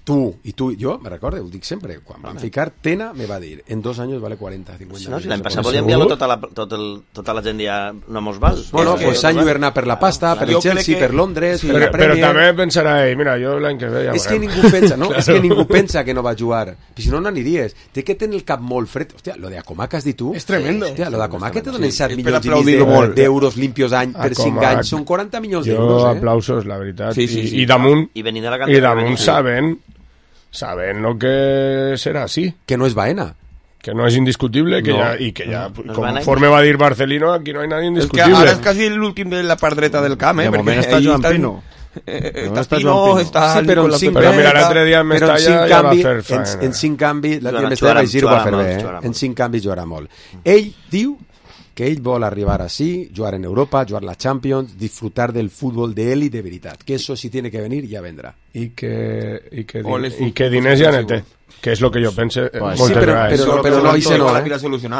tu i jo, me recordo, ho dic sempre, quan van ficar Tena me va dir, en 2 anys vale 40, 50 no, si l'any passat volia enviar-lo tota la gent ja no mos val. Bueno, pues s'han lluernat per la pasta, per el Chelsea, per Londres, per la Premier. Però també pensarà ell, mira, jo l'any que ve ja és que ningú pensa, no? És que ningú pensa que no va jugar. Si no n'aniries. Té que tenir el cap molt fred. Hòstia, lo de Acomà que has dit tu... És tremendo. Hòstia, lo de Acomà que te donen 7 milions i mig d'euros limpios any per 5 anys. Són 40 milions d'euros, Jo aplausos, la veritat. I damunt saben lo que serà així. Que no és Baena. Que no és indiscutible i que ja, conforme va dir Barcelino, aquí no hi ha nadie indiscutible. Es que ara és quasi l'últim de la part dreta del camp, De moment està Joan Pino. Està Pino, està... Sí, però mira, l'altre dia en Mestalla ja va fer faena. En 5 canvis, l'altre dia en Mestalla ho va fer bé, en 5 canvis jugarà molt. Ell diu que ell vol arribar así, jugar en Europa, jugar la Champions, disfrutar del fútbol de él y de veritat. Que eso si tiene que venir, ya vendrá. I que diners ja ne té. Que és el que jo pense moltes vegades. Però no, Ise no,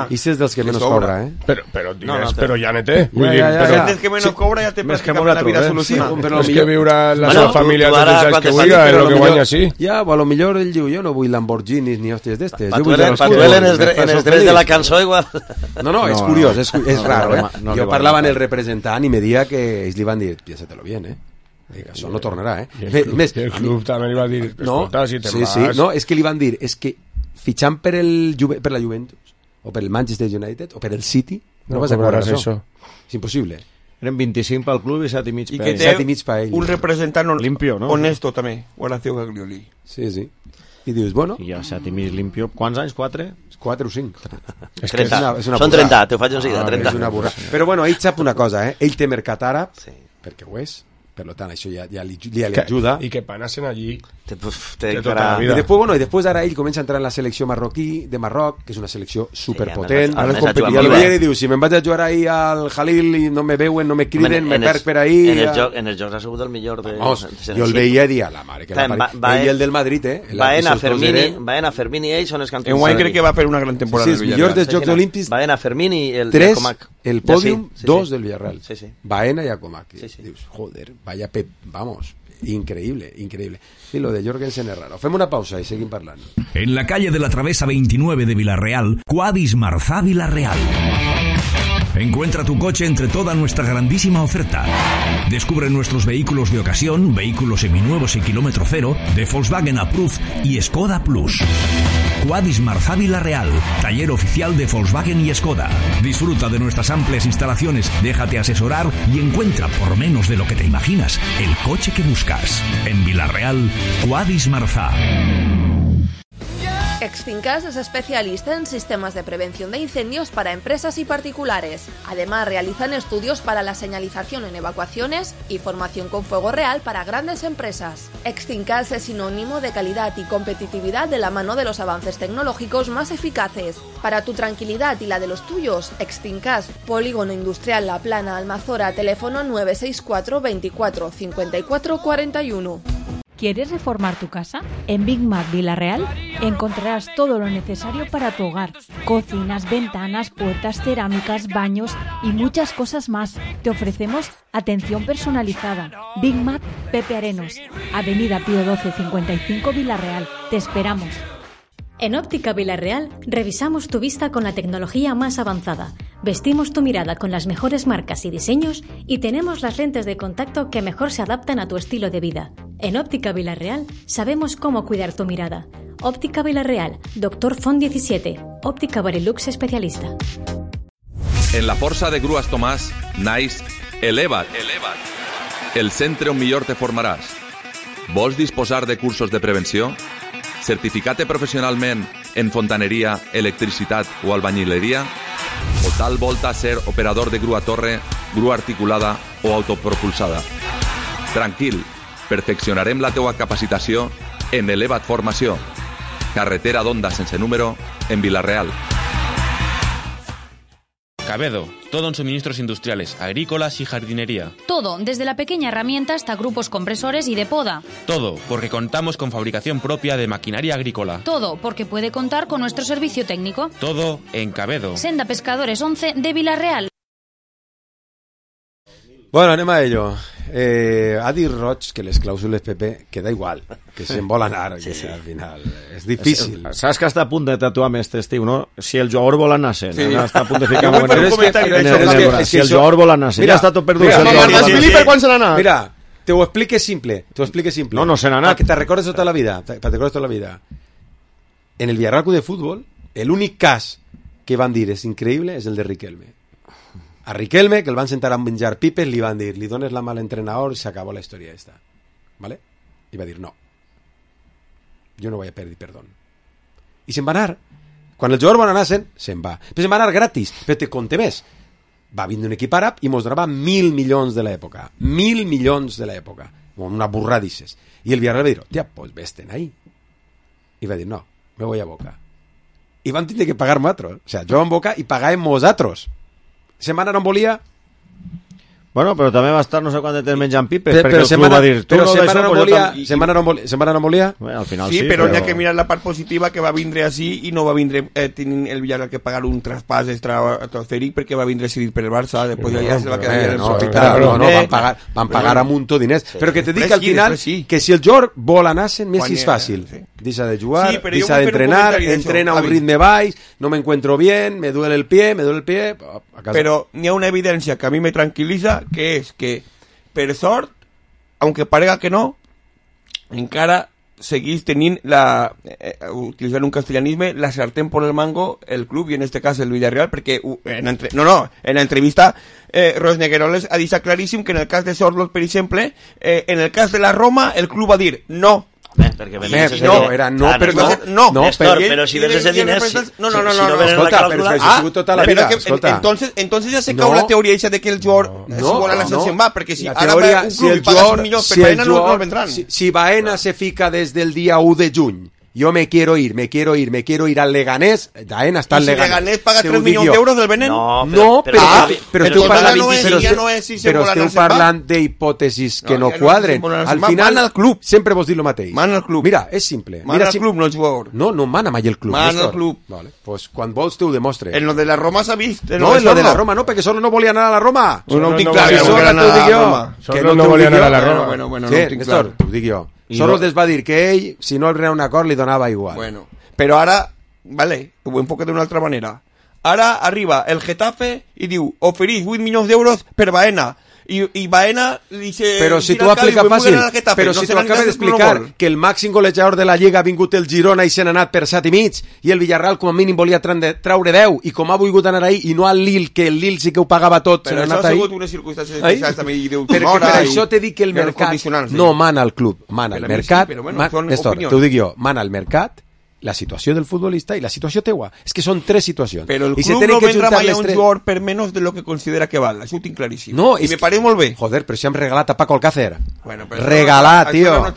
Ise és dels que menys cobra, Però diners, però ja ne té. Vull dir, però des que menys cobra ja té pràcticament la vida solucionada. És que viure la seva família tots els anys que vulgui, és el que guanya així. Ja, a lo millor ell diu, jo no vull Lamborghinis ni hòsties d'estes. Patuel en els drets de la cançó igual. No, és curiós, és raro, Jo parlava amb el representant i me dia que ells li van dir, piénsatelo bien, això no tornarà, I el club també li va dir, escolta, si te'n vas... No, és que li van dir, és que fitxant per la Juventus, o per el Manchester United, o per el City, no vas a cobrar això. És impossible. Eren 25 pel club i 7,5 I per que ell. té 7,5 per ell. un representant Limpio, no? honesto també, Horacio Gaglioli. Sí, sí. I dius, bueno... I ja 7,5 limpio. Quants anys? 4? 4 o 5. És 30. Són 30, te ho faig un seguida, 30. És una burrada. Però bueno, ell sap una cosa, ell té mercat àrab, perquè ho és, per tant això ja li ajuda. Y que panasen allí de toda la vida. I després ara ell comença a entrar en la selecció marroquí de Marroc, que és una selecció superpotent. a més I el veient i diu, si me'n vaig a jugar ahí al Jalil i no me veuen, no me criden, me perc per ahí... En els jocs ha sigut el millor de... Vamos, jo el veia i dia, la mare que la pare. Ell i el del Madrid, Baena, Fermini i ells són els que han En Guany crec que va fer una gran temporada. Sí, els millors dels Jocs Olímpics. Baena, Fermini i el 3, Comac. el pòdium, 2 del Villarreal. Sí. Baena y Comac. Dius, joder, vaya Pep, vamos, increíble. Y lo de Jorgensen es raro. Fem una pausa y seguim parlant. En la calle de la Travesa 29 de Villarreal, Quadis Marzá Villarreal. Encuentra tu coche entre toda nuestra grandísima oferta. Descubre nuestros vehículos de ocasión, vehículos seminuevos y kilómetro cero, de Volkswagen Approved y Skoda Plus. Quadis Marzá Villarreal, taller oficial de Volkswagen y Skoda. Disfruta de nuestras amplias instalaciones, déjate asesorar y encuentra, por menos de lo que te imaginas, el coche que buscas. En Villarreal, Quadis Marzá. Exfincas es especialista en sistemas de prevención de incendios para empresas y particulares. Además, realizan estudios para la señalización en evacuaciones y formación con fuego real para grandes empresas. Exfincas es sinónimo de calidad y competitividad de la mano de los avances tecnológicos más eficaces. Para tu tranquilidad y la de los tuyos, Exfincas, Polígono Industrial La Plana, Almazora, teléfono 964 24 54 41. ¿Quieres reformar tu casa? En Big Mac Villarreal encontrarás todo lo necesario para tu hogar. Cocinas, ventanas, puertas, cerámicas, baños y muchas cosas más. Te ofrecemos atención personalizada. Big Mac Pepe Arenos, Avenida Pío 12 55 Villarreal. Te esperamos. En Óptica Villarreal revisamos tu vista con la tecnología más avanzada, vestimos tu mirada con las mejores marcas y diseños y tenemos las lentes de contacto que mejor se adaptan a tu estilo de vida. En Óptica Villarreal sabemos cómo cuidar tu mirada. Óptica Villarreal, Dr. Font 17, Óptica Barilux especialista. En la Força de Grues Tomàs naix Eleva't, el centre on millor te formaràs. Vols disposar de cursos de prevenció? Certificat-te professionalment en fontaneria, electricitat o albañileria? O tal volta ser operador de grua torre, grua articulada o autopropulsada? Tranquil, perfeccionarem la teua capacitació en Eleva't Formació. Carretera d'Onda sense número, en Villarreal. Cabedo, todo en suministros industriales, agrícolas y jardinería. Todo, desde la pequeña herramienta hasta grupos compresores y de poda. Todo, porque contamos con fabricación propia de maquinaria agrícola. Todo, porque puede contar con nuestro servicio técnico. Todo en Cabedo. Senda Pescadores 11 de Villarreal. Bueno, anem a ello. Ha dit Roig que les clàusules, Pepe, que da igual, que se'n vol anar, que al final és difícil. Saps que està a punt de tatuar més este estiu, no? Si el jugador vol anar-se'n. Sí. Està a punt de ficar Si el jugador vol anar-se'n. Ja està tot perdut. Mira, te ho explique simple. No se n'ha anat. Que te recordes tota la vida. En el Villarreal de Fútbol, el únic cas que van dir és increïble és el de Riquelme. A Riquelme, que el van sentar a menjar pipes, li van dir, li dones la mà a l'entrenador i s'acabó la història esta. ¿Vale? I va dir, no. Jo no voy a pedir perdón. I se'n va anar. Quan el jugador va anar, se'n va. Però se'n va anar gratis. Però te conté més. Va vindre un equip àrab i mostrava 1.000 milions de l'època. 1.000 milions de l'època. Una burrada dices. I el Villarreal va dir, tia, pues vés-te'n ahí. I va dir, no, me voy a Boca. I van tindre que pagar nosaltres. O sea, jo en Boca i pagàvem nosaltres. Setmana no en volia. Bueno, però també va estar no sé quant de temps menjant pipes, perquè el club va dir... Però setmana no volia. Al final sí, però n'hi ha que mirar la part positiva, que va vindre així i no va vindre tenint el Villarreal que pagar un traspàs estratosfèric perquè va vindre cedit per el Barça, després ja se va quedar en el hospital. No, van pagar a muntó diners. Però que te dic al final que si el Jorg vol anar-se'n, més és fàcil. Deixa de jugar, deixa d'entrenar, entrena a un ritme baix, no me encuentro bien, me duele el pie, Pero n'hi ha una evidència que a mi me tranquil·litza, que és que, per sort, aunque parega que no, encara seguís tenint utilitzant un castellanisme, la sartén por el mango, el club, i en este cas el Villarreal, perquè en l'entrevista Ros Negueroles ha deixat claríssim que en el cas de Sorloth, per exemple, en el cas de la Roma, el club va dir no. Perquè però si ves ese diners no, entonces ya se cau la teoria esa de que el jugador si vol anar se'n va, perquè si ara va un club i pagas un milió per Baena no el vendran. Si Baena se fica desde el día 1 de juny, yo me quiero ir al Leganés, Baena está al Leganés. Si Leganés paga 3 milions d'euros del Benet? Però esteu parlant d'hipòtesis que no quadren. Al final, sempre vos dic el mateix. Mana el club. Mira, és simple. Mana el club, no el jugador. No mana mai el club. Mana el club. Vale, pues quan vols te ho demostre. En lo de la Roma s'ha vist. No, en lo de la Roma no, perquè solo no volia anar a la Roma. No ho tinc clar, que no volia anar a la Roma. Bueno, Néstor, t'ho dic jo. Solo es va dir que ell, si no el rena un acord, li donava igual. Bueno, però ara, vale, ho enfoque d'una altra manera. Ara arriba el Getafe i diu, oferís 8 milions d'euros per Baena. I Baena li dice... Però si t'ho aplica fàcil, però si t'ho acabes d'explicar que el màxim golejador de la Lliga ha vingut el Girona i se n'ha anat per 7,5 i el Villarreal com a mínim volia traure 10 i com ha volgut anar ahí i no al Lille, que el Lille sí que ho pagava tot, se n'ha anat ahí. Però això ha sigut unes circumstàncies especials també i diu... Perquè per això te dic que el mercat no mana el club, mana el mercat. Néstor, t'ho dic jo, mana el mercat, la situació del futbolista i la situació teua. És que són 3 situacions. Però el club no vendrà mai a un jugador per menys de lo que considera que val. Això ho tinc claríssim. No, i me pareix molt bé. Joder, però si hem regalat a Paco Alcácer. Bueno, regalat, tio.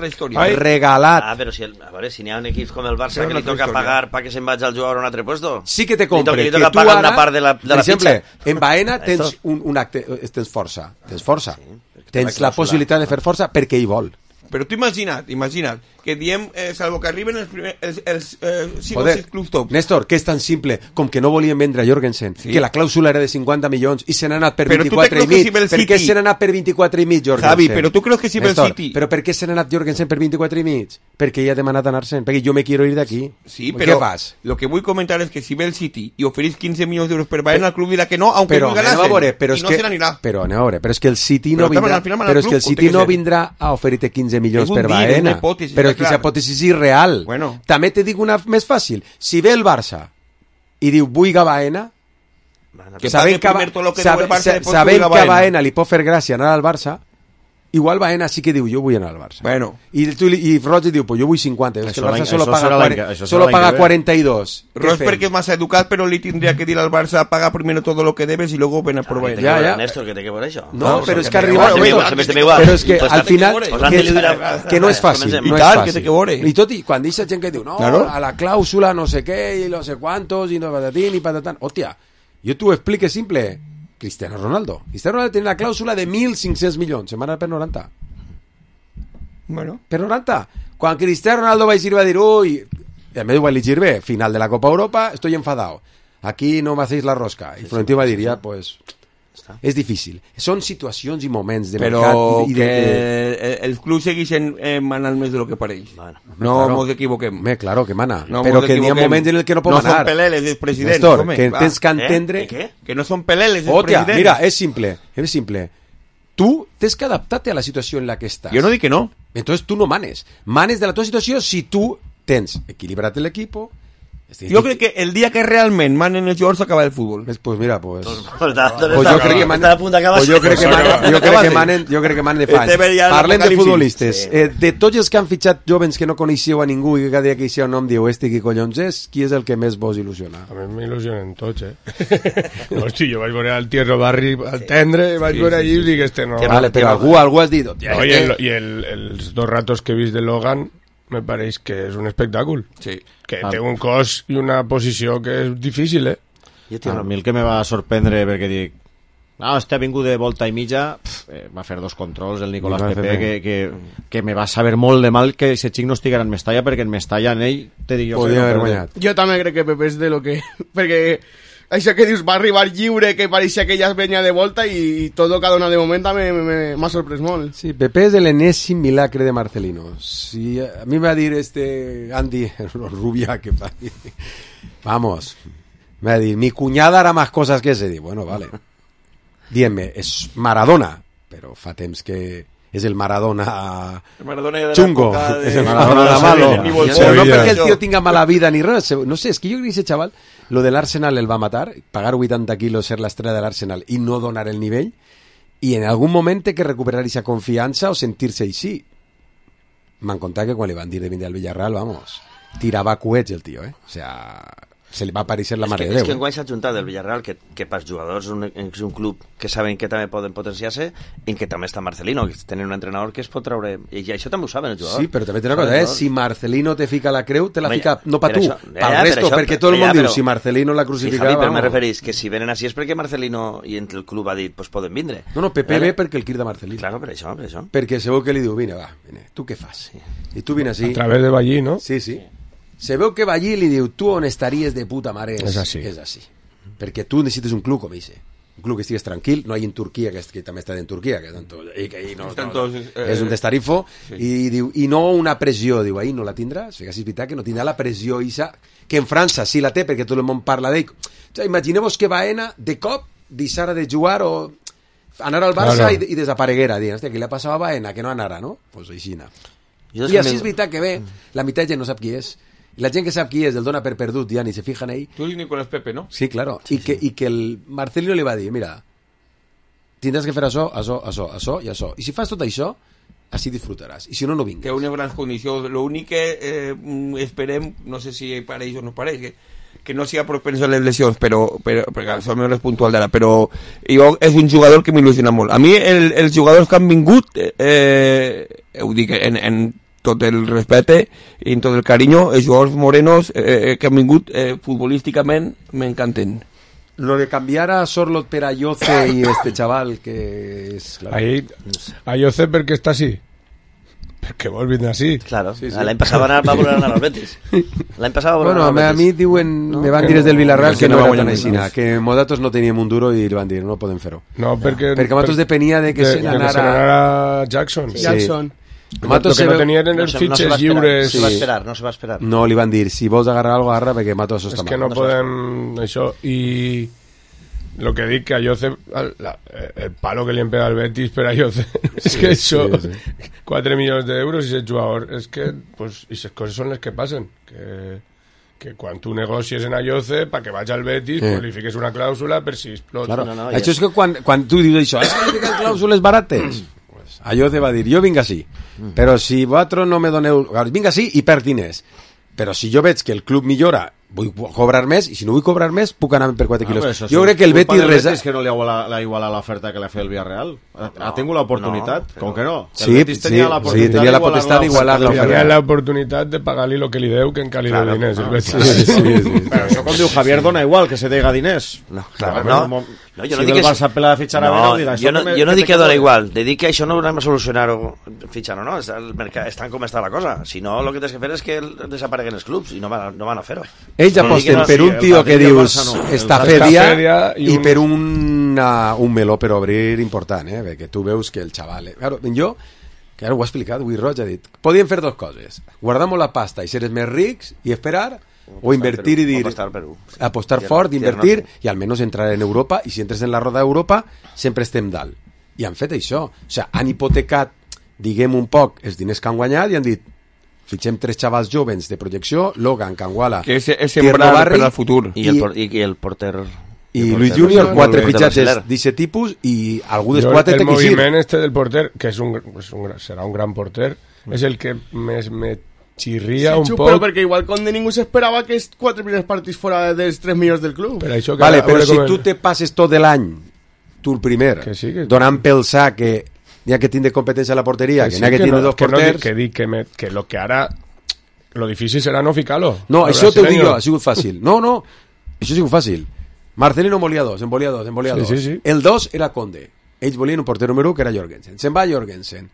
Regalat. Però si, a veure, si n'hi ha un equip com el Barça que li toca pagar perquè se'n vagi al jugador a un altre puesto. Sí que te compre. Li toca pagar una part de la per exemple, pitxa. en Baena tens un acte, tens força. Tens la possibilitat de fer força perquè hi vol. Però tu imagina't que diem, salvo que arriben els 5 o 6 clubs top. Néstor, que és tan simple com que no volien vendre a Jorgensen, que la clàusula era de 50 milions i se n'ha anat per 24,5. Per què se n'ha anat per 24,5 Jorgensen? Javi, però tu creus que si ve el City... Però per què se n'ha anat Jorgensen per 24,5? Perquè ella ha demanat anar-se'n, perquè jo me quiero ir d'aquí. Sí, però lo que vull comentar és que si ve el City i oferís 15 milions d'euros per Baena, el club dirà que no, aunque no ganasen, i no se n'anirà. Però anem a veure, però és que el City no vindrà a oferir-te 15 milions per Baena. Però és que aquesta hipòtesi és irreal. També te dic una més fàcil. Si ve el Barça i diu vull a Baena, sabent que a Baena li pot fer gràcia anar al Barça, igual Baena sí que diu jo vull anar al Barça. I Roig diu pues jo vull 50, és que el Barça solo paga 42. Roig perquè és massa educat, però li tindria que dir al Barça paga primero todo lo que debes y luego ven a por Baena. Ja. Néstor, que té que veure això. No, però és que arriba... Però és que al final... Que no és fàcil. I tot i quan deixa gent que diu no, a la clàusula no sé què i no sé quantos i no patatín i patatán. Hòstia, jo t'ho explique simple. Cristiano Ronaldo tiene la clàusula de 1.500 milions, se m'ha anat per 90. Per 90. Quan Cristiano Ronaldo va dir, uy, en medio va elegir bé, final de la Copa Europa, estoy enfadado. Aquí no me hacéis la rosca. I Florentino va dir, ja, pues... És difícil. Són situacions i moments de mercat. Però que el club segueix manant més de lo que pareix. No ens equivoquem. Claro que mana. Però que hi ha moments en el que no pot manar. No són peleles dels presidents. Néstor, que tens que entendre... Que no són peleles dels presidents. Mira, és simple. Tu tens que adaptar-te a la situació en la que estàs. Jo no dic que no. Entonces tu no manes. Manes de la tua situació si tu tens equilibrat l'equip. Jo crec que el dia que realment manen els jugadors s'acaba el futbol. Pues mira, pues... jo crec que manen de fa anys. Parlem de futbolistes. De tots els que han fitxat jovens que no coneixeu a ningú i que cada dia que hi ha un nom diu qui collons és, qui és el que més vos il·lusiona? A mi m'il·lusionen tots, Hosti, jo vaig veure al Thierry Barri al Tendre, vaig veure allí i dic no... Vale, però algú has dit... I els 2 ratos que he vist de Logan me pareix que és un espectacle. Sí. Que té un cos i una posició que és difícil, A mi el que me va sorprendre perquè dic ha vingut de volta i mitja, va fer 2 controls el Nicolás Pepe que me va saber molt de mal que ese xic no estiguera en Mestalla, perquè en Mestalla en ell te dic jo podria haver guanyat. Jo també crec que Pepe és de lo que... perquè això que dius va arribar lliure, que pareixia que ja es venia de volta i tot cada una de moment m'ha sorprès molt. Sí, Pepe és l'enèsim milagre de Marcelino. Sí, a mi va dir Andy Rubia que va dir, vamos, me va dir, mi cuñada hará más cosas que ese. Bueno, vale. Diem-me, és Maradona, però fa temps que és el Maradona de chungo, és el Maradona malo. O no perquè el tio tinga mala vida ni res, no sé, és que jo crec que ese chaval, lo del Arsenal el va matar, pagar 80 quilos, ser l'estrella de l'Arsenal i no donar el nivell, i en algun moment té que recuperar esa confiança o sentir-se així. M'han contat que quan li van dir de vindre al Villarreal, vamos, tirava coets el tio, o sea, se li va aparèixer la mare de Déu. És que enguany s'ha juntat del Villarreal, que pels jugadors és un club que saben que també poden potenciar-se, en què també està Marcelino, que tenen un entrenador que es pot treure... I això també ho saben els jugadors. Sí, però també té una cosa, si Marcelino te fica la creu, te la fica no pa tu, pel resto, perquè tot el món diu, si Marcelino la crucificava... Sí, però me referís que si venen així és perquè Marcelino i el club ha dit, pues poden vindre. No, Pepe ve perquè el crida Marcelino. Claro, per això. Perquè se veu que li diu, vine, tu què fas? I tu vine així. A través de Ballí, no? Sí. Se veu que Ballí li diu, tu on estaries de puta mare és així. Perquè tu necessites un club com ese. Un club que estigues tranquil, no hi en Turquia, que també està en Turquia, que ahí no, és un destarifo, i diu, i no una pressió, diu, ahí no la tindràs, és veritat que no tindrà la pressió Isa, que en França sí la té, perquè tot el món parla d'ell. O sigui, imagineu-vos que Baena, de cop, deixara de jugar o anar al Barça i desapareguera, dient, hòstia, què li ha passat a Baena, que no anara, no? Pues així, I així és veritat que ve, la meitat gent no sap qui és, y la gent que sap qui és el dona per perdut ja ni se fijan ahí. Tú y Nicolás Pepe, ¿no? Sí, claro. Sí, y que el Marcelino li va dir, mira, tindràs que fer això i això. I si fas tot això, així disfrutaràs. I si no, no vingues. Que una gran condició. Lo únic que esperem, no sé si pareix o no pareix, que no sigui propenso a les lesions, però perquè això no és puntual d'ara, però jo és un jugador que m'il·lusiona molt. A mi els jugadors que han vingut, ho dic en tot el respecte i en tot el carinyo, els jugadors morenos que han vingut futbolísticament m'encanten. Lo de cambiar a Sorlot per a Ayoce y este chaval que es... Claro. Ayoce perquè està així. Perquè vol vindre així. Claro, sí. L'any passat va voler anar als Betis. L'any passat va voler anar als Betis. A mi diuen, me van dir des del Villarreal que no era tan així, que Modatos no teníem un duro i li van dir, no podem fer-ho. No, perquè Matos depenia de que se n'anara Jackson. Matos que no tenien els fitxes lliures. No se va esperar. No, li van dir, si vols agarrar algo, agarra, perquè Matos està mal. És que no podem... Això, i... Lo que dic que a Ayoce, el palo que li han pegat al Betis per a Ayoce, és que això, 4 milions d'euros i ese jugador, és que, pues, i les coses són les que passen, que quan tu negocies en Ayoce, pa que vaig al Betis, pues li fiques una clàusula per si explota. Claro. Això és que quan tu dius això, és que li fiquen clàusules barates, pues Ayoce va dir, jo vinc així, però si vosaltres no me doneu, vinc així i perd diners, però si jo veig que el club millora, vull cobrar més, i si no vull cobrar més puc anar per 4 quilos. Jo crec que el Betis és que no li ha igualat l'oferta que le feia el Villarreal. Ha tingut l'oportunitat, com que no. Sí, tenia la potestat d'igualar l'oferta. Tenia l'oportunitat de pagar-li el que li deu, que encara li deu diners. Però això com diu Javier, dona igual que se deiga diners. No, jo no dic que... Barça pela de fitxar a Vena, jo no dic que dona igual, dic que això no ho anem a solucionar fitxar o no, estan com està la cosa. Si no, el que tens que fer és que desapareguen els clubs i no van a fer-ho. Ells aposten per un tio que dius Estafedia i per un meló per obrir important, perquè tu veus que el xaval... Claro, jo, que ara ho ha explicat, Will Roig ha dit, podíem fer dos coses, guardar-nos la pasta i ser més rics i esperar, o invertir i dir... Apostar fort, invertir i almenys entrar en Europa, i si entres en la roda d'Europa sempre estem dalt. I han fet això. O sigui, han hipotecat, diguem un poc, els diners que han guanyat i han dit fitxem 3 xavals jovens de projecció, Logan, Canguala, que és sembrar per al futur. I el porter... I Luis Junior, 4 fitxatges d'aquest tipus i algú dels 4 té que eixir. El moviment este del porter, que serà un gran porter, és el que més me xirria un poc. Però perquè igual Conde ningú s'esperava que els 4 primers partits fora dels 3 milions del club. Vale, però si tu te passes tot l'any, tu el primer, donant pel sac que n'hi ha que tindre competència a la porteria, que n'hi ha que tindre dos porters... Que dic que lo que ara... Lo difícil serà no ficar-lo. No, això t'ho dic jo, ha sigut fàcil. No, això ha sigut fàcil. Marcelino volia 2, en volia 2. Sí. El 2 era Conde. Ells volien un porter número 1 que era Jorgensen. Se'n va Jorgensen.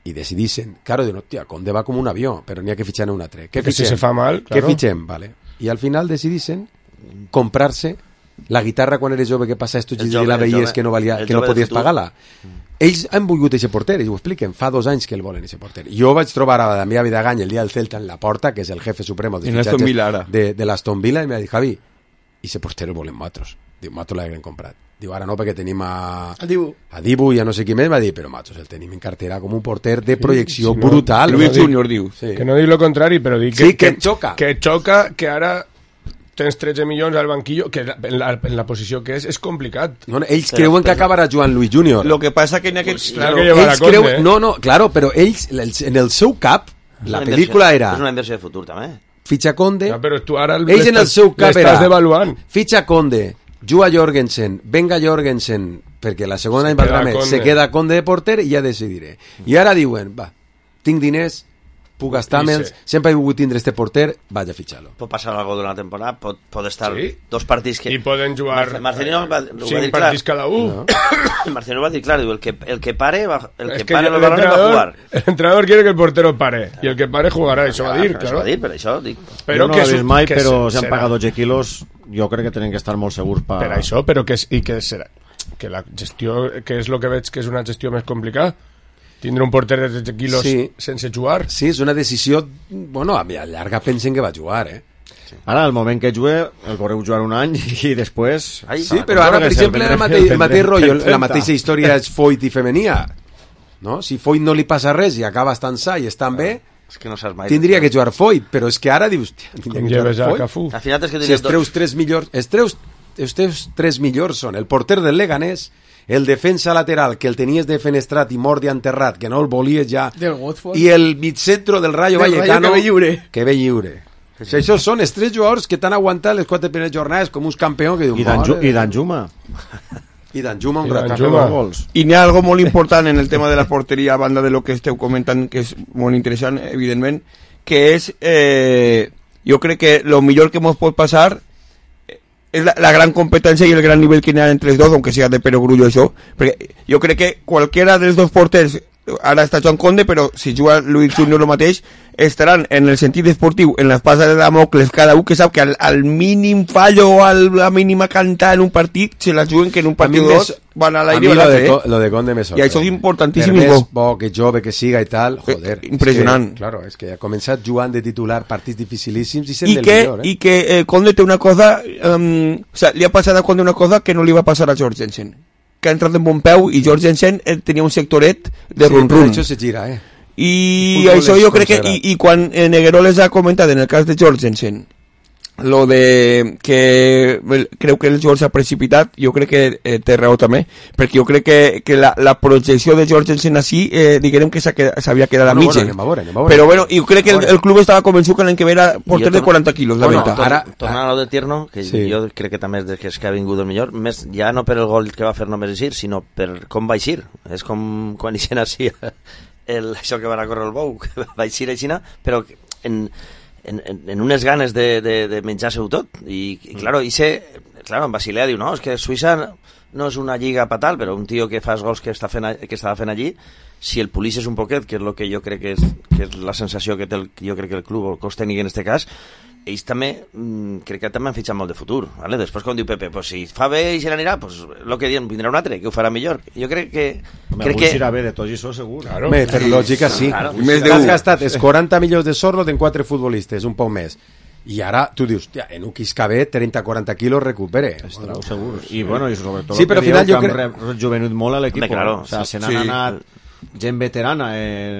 I decidissin, claro, diuen, hòstia, Conde va com un avió, però n'hi ha que fitxar un altre. Què fitxem? Si se fa mal, claro. Què fitxem? Vale. I al final decidissin comprar-se la guitarra quan eres jove, que passa esto, i la veies que no podies pagar-la. Ells han volgut aquest porter, ells ho expliquen, fa 2 anys que el volen, aquest porter. Jo vaig trobar a Damià Vidagany el dia del Celta en la porta, que és el jefe supremo de fitxatges de l'Aston Villa, i m'ha dit, Javi, i ese porter el volen nosaltres. Diu, nosaltres l'haguem comprat. Diu, ara no, perquè tenim a Dibu, ja no sé qui més, va dir, però matos, el tenim en cartera com un porter de projecció brutal. Luis Junior diu. Sí. Que no dic lo contrari, però dic que xoca. Que xoca, que ara tens 13 milions al banquillo, que en la posició que és complicat. No, ells creuen que acabarà jugant Luis Junior. Lo que passa que en aquest... Pues, claro, que ells creuen... No, claro, però ells, en el seu cap, la pel·lícula era... És una inversió de futur, també. Fitxa Conde... No, però tu ara ells en el seu cap era... devaluant. Fitxa Conde, juga Jorgensen, venga Jorgensen, perquè la segona any valdrà més, se queda Conde de porter i ja decidiré. I ara diuen, va, tinc diners, puc gastar-me'ls, sempre he volgut tindre este porter, vaig a fitxar-lo. Pot passar alguna cosa durant la temporada, pot estar dos partits que... I poden jugar Marcelino va 5 partits cada un. Marcelino va dir, clar, el que pare el balón va jugar. El entrenador quiere que el portero pare, y el que pare jugarà, això va dir, claro. Això va dir, per això dic. Però no l'he vist mai, però si han pagat 12 quilos, jo crec que tenen que estar molt segurs per això, però que serà que la gestió, que és el que veig que és una gestió més complicada, tindre un porter de 13 quilos sense jugar. Sí, és una decisió, bueno, a llarga pensen que va jugar, Ara, al moment que jugue, el veureu jugar un any i després... Sí, però ara, per exemple, el mateix rotllo, la mateixa història és Foyt i Femenia, no? Si Foyt no li passa res i acaba estant sa i estant bé, és que no saps mai. Tindria que jugar Foyt, però és que ara dius... Com lleves a Cafú? Al final és que si els treus 3 millors... Els teus 3 millors són el porter del Leganés, el defensa lateral, que el tenies defenestrat i mort i enterrat, que no el volies ja, i el mitcentro del Rayo Vallecano, que ve lliure. Si això són els 3 jugadors que t'han aguantat les 4 primeres jornades com uns campions que diuen... I Danjuma. I Danjuma un rato. I n'hi ha algo molt important en el tema de la porteria, a banda de lo que esteu comentant, que és molt interessant, evidentment, que és, jo crec que lo millor que mos pot passar és la gran competència i el gran nivell que n'hi ha entre els dos, aunque sea de Perogrullo això, perquè jo crec que qualquera dels dos porters, ara està Joan Conde, però si juga Luis Junior el mateix, estaran en el sentit esportiu en l'espasa de Damocles, cada un que sap que al mínim fallo o a la mínima canta en un partit se la juguen que en un partit o dos van a l'aire. A mi lo de Conde me sorprèn. I això és importantíssim. Per més bo que jove que siga i tal, joder. Impressionant. Claro, és que ha començat jugant de titular partits dificilíssims i sent del millor. I que Conde té una cosa, o sea, li ha passat a Conde una cosa que no li va passar a Jorgensen, que ha entrat en bon peu i Jorgensen tenia un sectoret de run-run. Això se gira, I això jo crec que i quan Negueró les ha comentat en el cas de Jorgensen lo de que creu que el jugador s'ha precipitat, jo crec que té raó també, perquè jo crec que la projecció de Jorgensen així diguem que s'havia quedat a mitja, però bueno, jo crec que el club estava convençut que l'any que ve era porter de 40 quilos, la veritat. Tornant a lo de Tierno, que jo crec que també és que ha vingut el millor, més ja no per el gol que va fer només eixir, sinó per com va eixir, és com quan eixen així això que van a córrer el bou, que va eixir aixina, però en unes ganes de menjar-se-ho tot i claro, en Basilea diu, no, és que Suïssa no és una lliga patal, però un tio que fa els gols que estava fent allí, si el polixes un poquet, que és el que jo crec que és la sensació que té jo crec que el club o el cos tècnic en este cas, ells també crec que també han fitxat molt de futur, ¿vale? Després quan diu Pepe, pues si fa bé i se n'anirà, pues lo que diuen, vindrà un altre que ho farà millor. Jo crec que serà bé de tot això segur. Claro. Per lògica sí. Has gastat els 40 milions de Sorlo en 4 futbolistes, un poc més. I ara tu dius, en un Quiscabé 30-40 quilos recupere. Estarà segur. I bueno, i sobretot sí, però al final jo crec que han rejuvenut molt a l'equip. Claro, o sea, se n'han anat gent veterana.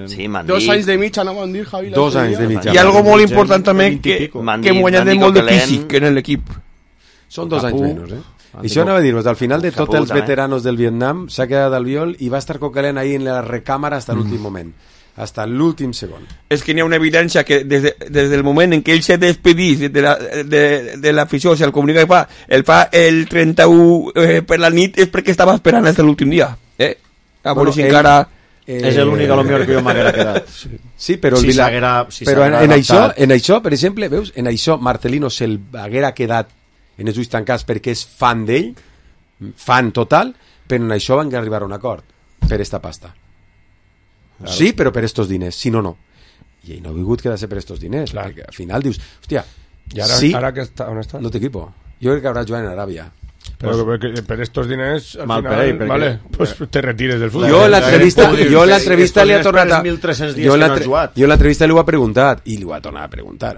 Sí, 2 anys de mitja, no van dir, Javi. 2 anys de mitja. I algo molt important també, que hem guanyat molt de físic en l'equip. Són 2 anys menys, I això anava a dir-vos, al final de tots els veteranos del Vietnam s'ha quedat Albiol i va estar Coquelin ahí en la recàmera hasta l'últim moment, hasta l'últim segon. És que n'hi ha una evidència que des del moment en què ell se despedís de l'afició, o sigui, el comunicat que fa el 31 per la nit és perquè estava esperant fins l'últim dia. A veure si encara... és l'únic a lo millor que jo m'haguera quedat. Sí, però en això, per exemple, veus, en això Marcelino se'l haguera quedat en els ulls tancats perquè és fan d'ell, fan total, però en això van arribar a un acord per esta pasta. Claro. Sí, però per estos diners, si no, no. I ell no ha vingut quedar-se per estos diners, perquè al final dius, hòstia, i ara, sí, ara que està, on està? No té equipo. Jo crec que haurà jugat en Aràbia. Pero per estos diners al mal final, per vale, pues te retires del fútbol. Jo en l'entrevista li ha tornat jo en l'entrevista li ho ha preguntat i li ho ha tornat a preguntar.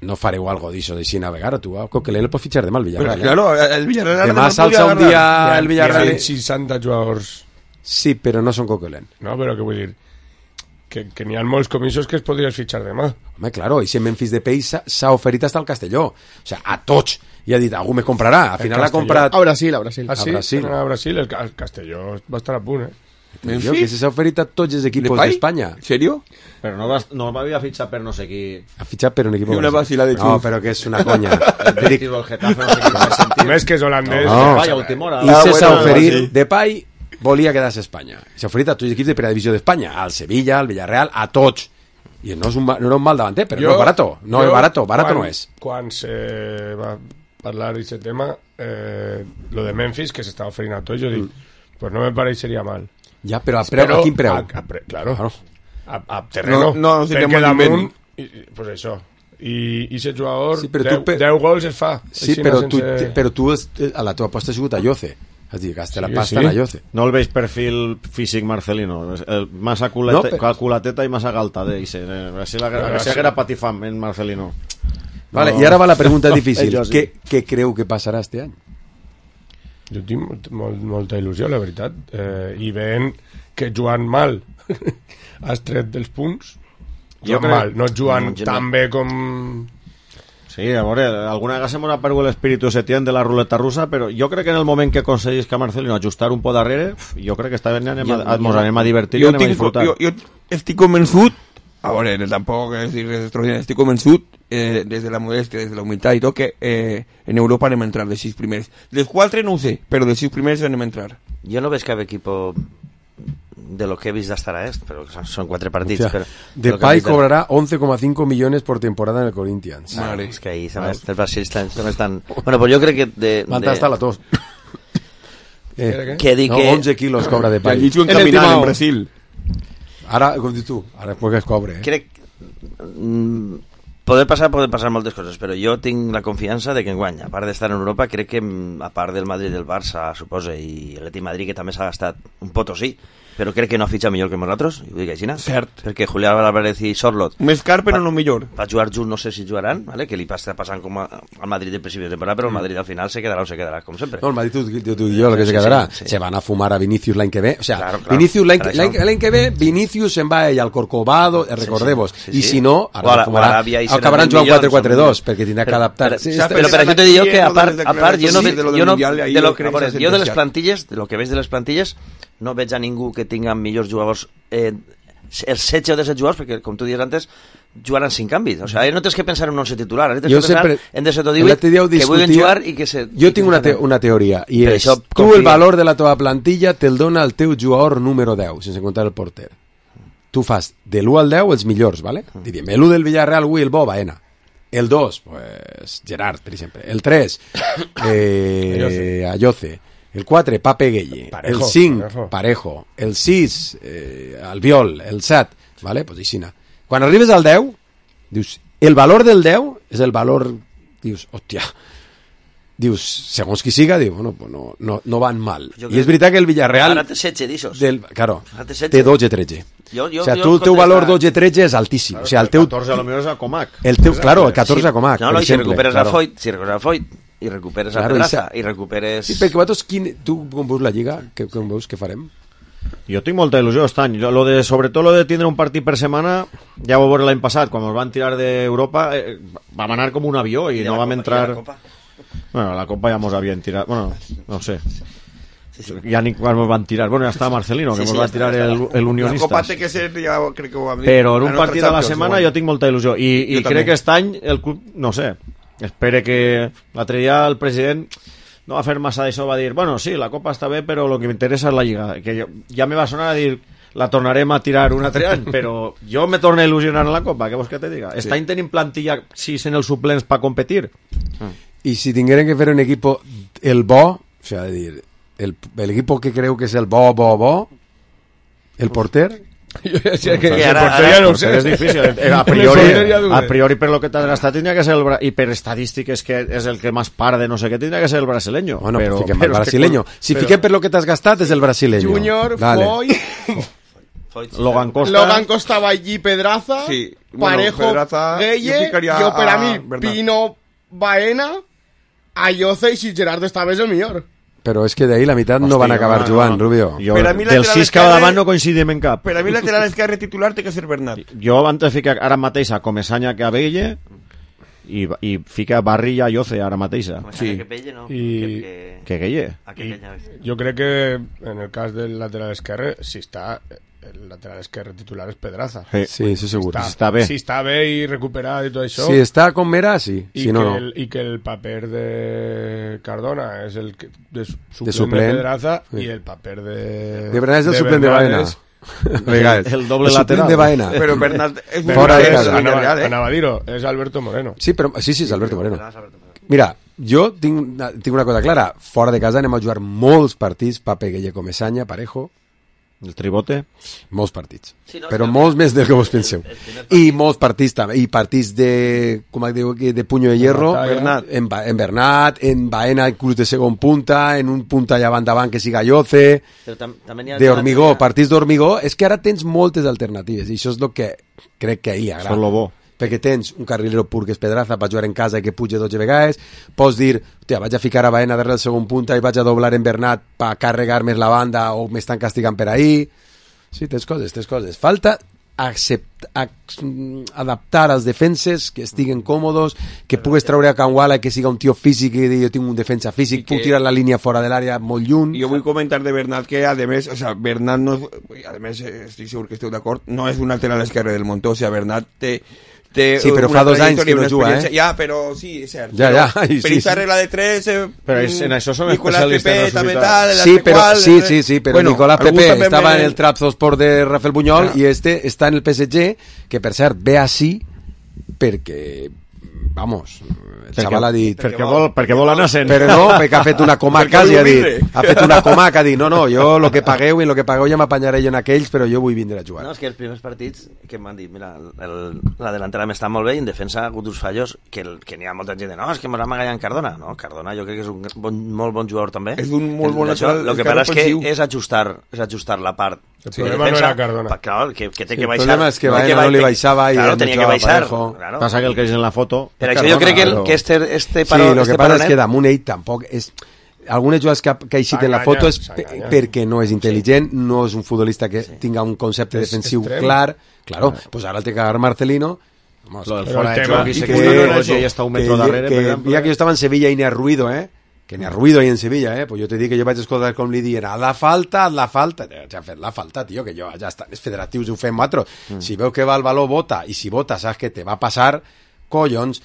no fareu algo d'això d'així navegar, tu a Coquelin el pots fitxar demà al Villarreal. Claro, el Villarreal... Demà s'alça un dia el Villarreal... Hi ha 60 jugadors... Sí, però no són Coquelin. No, però què vull dir? Que n'hi ha molts comissos que es podries fitxar demà. Home, claro, i si Memphis Depay s'ha oferit hasta el Castelló. O sea, a tots. I ha dit, algú me comprarà. Al final l'ha comprat... A Brasil. Ah, sí? A Brasil. El Castelló va estar a punt, Memphis? Que s'ha oferit a tots els equipos d'Espanya. ¿En serio? Però no m'havia fitxat per no sé qui... Ha fitxat per un equip... Una vacila de No, però que és una conya. El Getafe, no sé qui va sentir. Més que és holandès. I s'ha oferit Depay... volia quedar-se a Espanya. S'ha oferit a tots els equips de primera divisió d'Espanya, al Sevilla, al Villarreal, a tots. I no era un mal davanter, però no és barato. No és barato no és. Quan se va parlar d'aquest tema, lo de Memphis, que s'estava oferint a tots, jo dic, pues no me pareixeria mal. Ja, però a quin preu? Claro. A terreno. No perquè damunt, pues això. I aquest jugador, sí, 10 gols es fa. Sí, però tu a la teva aposta ha sigut a Lloce. És dir, gasta la pasta en Lloce. No el veig perfil físic Marcelino. Massa culateta i massa galta. Si era patifam en Marcelino. Vale, i ara va la pregunta difícil. Què creu que passarà este any? Jo tinc molta il·lusió, la veritat. I veient que jugant mal has tret dels punts, no jugant tan bé com... Sí, a veure, alguna vegada se m'ha perdut l'espíritu Setién de la ruleta russa, però jo crec que en el moment que aconseguís que Marcelino ajustar un po darrere, jo crec que esta vegada ens anem a divertir i anem a disfrutar. Jo estic convençut, a veure, tampoc és dir res extraordinari, estic convençut, des de la modestia, des de la humilitat i tot, que en Europa anem a entrar dels 6 primers. Dels 4 no ho sé, però dels 6 primers anem a entrar. Jo no veig cap equipo de lo que he vist hasta ahora pero son 4 partits. O sea, Depay cobrará 11,5 millones por temporada en el Corinthians. Claro, es que ahí el Brasil están... Bueno, pues yo creo que... Manta hasta la tos. Que di que... 11 kilos cobra Depay. En caminant en Brasil. Ara, com dius tu, ara és que es cobre. Crec... Poden passar moltes coses, però jo tinc la confiança de que enguany, a part d'estar en Europa, crec que a part del Madrid i del Barça, suposa, i l'Atlètic Madrid, que també s'ha gastat un potosí, però crec que no ha fitxat millor que nosaltres, ho dic així, cert, perquè Julián Álvarez i Sorlot més car però no millor va jugar junts, no sé si jugaran, ¿vale? Que li està passant com al Madrid del principi de temporada, però el Madrid al final se quedarà o se quedarà, com sempre. No, el Madrid, tu i jo, el que se quedarà, se van a fumar a Vinicius l'any que ve, o sea, claro, Vinicius l'any que ve, Vinicius se'n va ell al Corcovado, recordeu-vos, i si no, ara acabaran jugant 4-4-2, perquè tindrà que adaptar. Però per això te dic que, a part, jo de les plantilles, de lo que veig de les plantilles, no veig a ningú que tinga millors jugadors, els 16 o 17 jugadors, perquè com tu dius antes jugaran sin canvis, o sigui, no tens que pensar en un 11 titular, tens que pensar en 17 o 18 que vulguin jugar i que se... Jo tinc una teoria, i és, tu el valor de la teva plantilla te'l dona el teu jugador número 10, sense comptar el porter. Tu fas de l'1 al 10 els millors, ¿vale? Diríem, l'1 del Villarreal, el bo, Baena. El 2, pues Gerard, per exemple. El 3, Ayoce. El 4, Pape Gueye. El 5, Parejo. El 6, Albiol. El 7, ¿vale? Pues aixina. Quan arribes al 10, dius, el valor del 10 és el valor, dius, hòstia, dius, segons qui siga, diu, bueno, pues no van mal. I és veritat que el Villarreal... Ara té 16 d'ixos. Claro, té 12-13. O sea, el teu valor 12-13 és altíssim. O sea, el teu... 14 a lo millor és a Comac. Claro, el 14 a Comac, per exemple. No, si recuperes a Foyt, i recuperes a Pedraza, i recuperes... Sí, perquè vosaltres, tu com veus la Lliga, com veus que farem? Jo tinc molta il·lusió aquest any. Sobretot lo de tindre un partit per setmana, ja ho vam veure l'any passat, quan ens van tirar d'Europa, vam anar com un avió i no vam entrar... Bueno, la Copa ja mos havien tirat... Bueno, no sé. Ja ni quan ens van tirar. Bueno, ja estava Marcelino, que ens va tirar l'Unionistas. La Copa té que ser, ja crec que ho vam dir. Però en un partit a la setmana jo tinc molta il·lusió. I crec que aquest any el club, no sé, espere que l'altre dia el president no va fer massa d'això, va dir, bueno, sí, la Copa està bé, però el que m'interessa és la Lliga, que ja me va sonar a dir, la tornarem a tirar un altre any, però jo me torno a il·lusionar en la Copa, què vols que te diga? Aquest any tenim plantilla 6 en els suplents per competir. I si tingueren que fer un equip el bo, o sea, dir, el equipo que creu que és el bo, el porter... Jo ja sé que el porter ja no ho sé. És difícil. A priori per lo que t'has gastat tindria que ser i per estadístiques que és el que més para de no sé què tindria que ser el brasileño. Bueno, pues fiquem el brasileño. Si fiquem per lo que t'has gastat és el brasileño. Junior, Foyt... Logan Costa, Vallí, Pedraza... Sí, Parejo, Pedraza, Gueye, ficaria jo per a mi, Bernat. Pino, Baena, Ayoce i si Gerard estava és el millor. Però és que d'ahir la meitat no van acabar jugant, Rubio. Jo, Per a mi del lateral 6 que va esquerre- davant no coincidim en cap. Per a mi lateral esquerre titular té que ser Bernat. Jo abans de ficar ara mateix a Comesaña que a Belle i fica Barri i a Lloce ara mateixa. Sí. Que Belle, no? Que Gueye. Jo crec que en el cas del lateral esquerre, si està el lateral esquerre titular és Pedraza. Sí, això segur. Si Si està bé. Si està bé i recuperat i tot això. Si està com era, sí. I, Si no, que no. I que el paper de Cardona és el que, de suplent de suplent. Pedraza Sí. i el paper De Bernat és el suplent de Baena. és- Vegades. El doble El suplent lateral. de Baena. Però Bernat és Fora de casa. Anava a dir-ho, és Alberto Moreno. Sí, però, sí, és Alberto Moreno. Mira, jo tinc una cosa clara. Fora de casa anem a jugar molts partits, Pape, Gueye, Comesaña, Parejo. El tribote. Molts partits. Sí, no, Però és que- molts més del que vos penseu. I molts partits també. I partits de, com diu aquí, de puño de hierro. Bernat. En Bernat, en Baena, inclús de segon punta, en un punta allà davant que siga Lloce, També n'hi ha de hormigó, partits d'hormigó. És que ara tens moltes alternatives i això és el que crec que ahir agrada. Això és lo bo. Perquè tens un carrilero pur que és Pedraza per jugar en casa i que puja 12 vegades, pots dir, hòstia, vaig a ficar a Baena darrere el segon punta i vaig a doblar en Bernat per carregar més la banda o m'estan castigant per ahir. Sí, tens coses. Falta adaptar als defenses que estiguen còmodos, que pugues treure a Canguala i que siga un tio físic i dir, jo tinc un defensa físic, puc tirar la línia fora de l'àrea molt lluny. Jo vull comentar de Bernat que, a més, o sea, Bernat no és, a més, estic segur que esteu d'acord, no és un lateral esquerre del Montó, o sea, Bernat té Sí, però fa 2 anys que no juga, Ja, però sí, és cert. Ja, per aquesta regla de 3... Però en això són Nicolás especialistes, Pepe, no és també veritat. tal... Sí, però, sí, però bueno, Nicolás algú Pepe també estava me- en el Trabzonspor de Rafael Buñol i este està en el PSG, que per cert ve així perquè, vamos, el xaval ha dit... Perquè vol anar sent. Però no, perquè ha fet una comaca i ha dit... Ha fet una comaca, ha dit, no, jo lo que pagueu i lo que pagueu ja m'apanyaré jo en aquells, però jo vull vindre a jugar. No, és que els primers partits que m'han dit, mira, la delantera m'està molt bé i en defensa ha hagut uns fallos que n'hi ha molta gent de, no, és que m'ha magallat Cardona. No, Cardona jo crec que és un molt bon jugador també. És un molt bon lateral, El que passa és que és ajustar la part El problema no era Cardona. Claro, que té Sí, que el baixar. problema és que Baena no li baixava i claro, el tenia que jugava baixar. Parejo. Claro. Passa que el que és en la foto... Per això jo crec que este Sí, paró... lo que passa és que damunt ell tampoc és... Algunes jugades que ha eixit en la foto és perquè no és intel·ligent, no és un futbolista que tinga un concepte És defensiu extrem. clar. Claro, pues ara el té que agarrar Marcelino. Vamos, Lo del que- fora de el tema- joc i que- se que- que ja està un metro darrere, per exemple. mira que jo estava en Sevilla i n'hi ha ruido, que n'hi ha ruido ahí en Sevilla, pues jo te dic que jo vaig escoltar com li dient haz la falta, ja ha fet la falta, tio, que jo ja està, els federatius ho fem nosaltres, si veu que va el valor, vota, i si vota saps que te va passar, collons,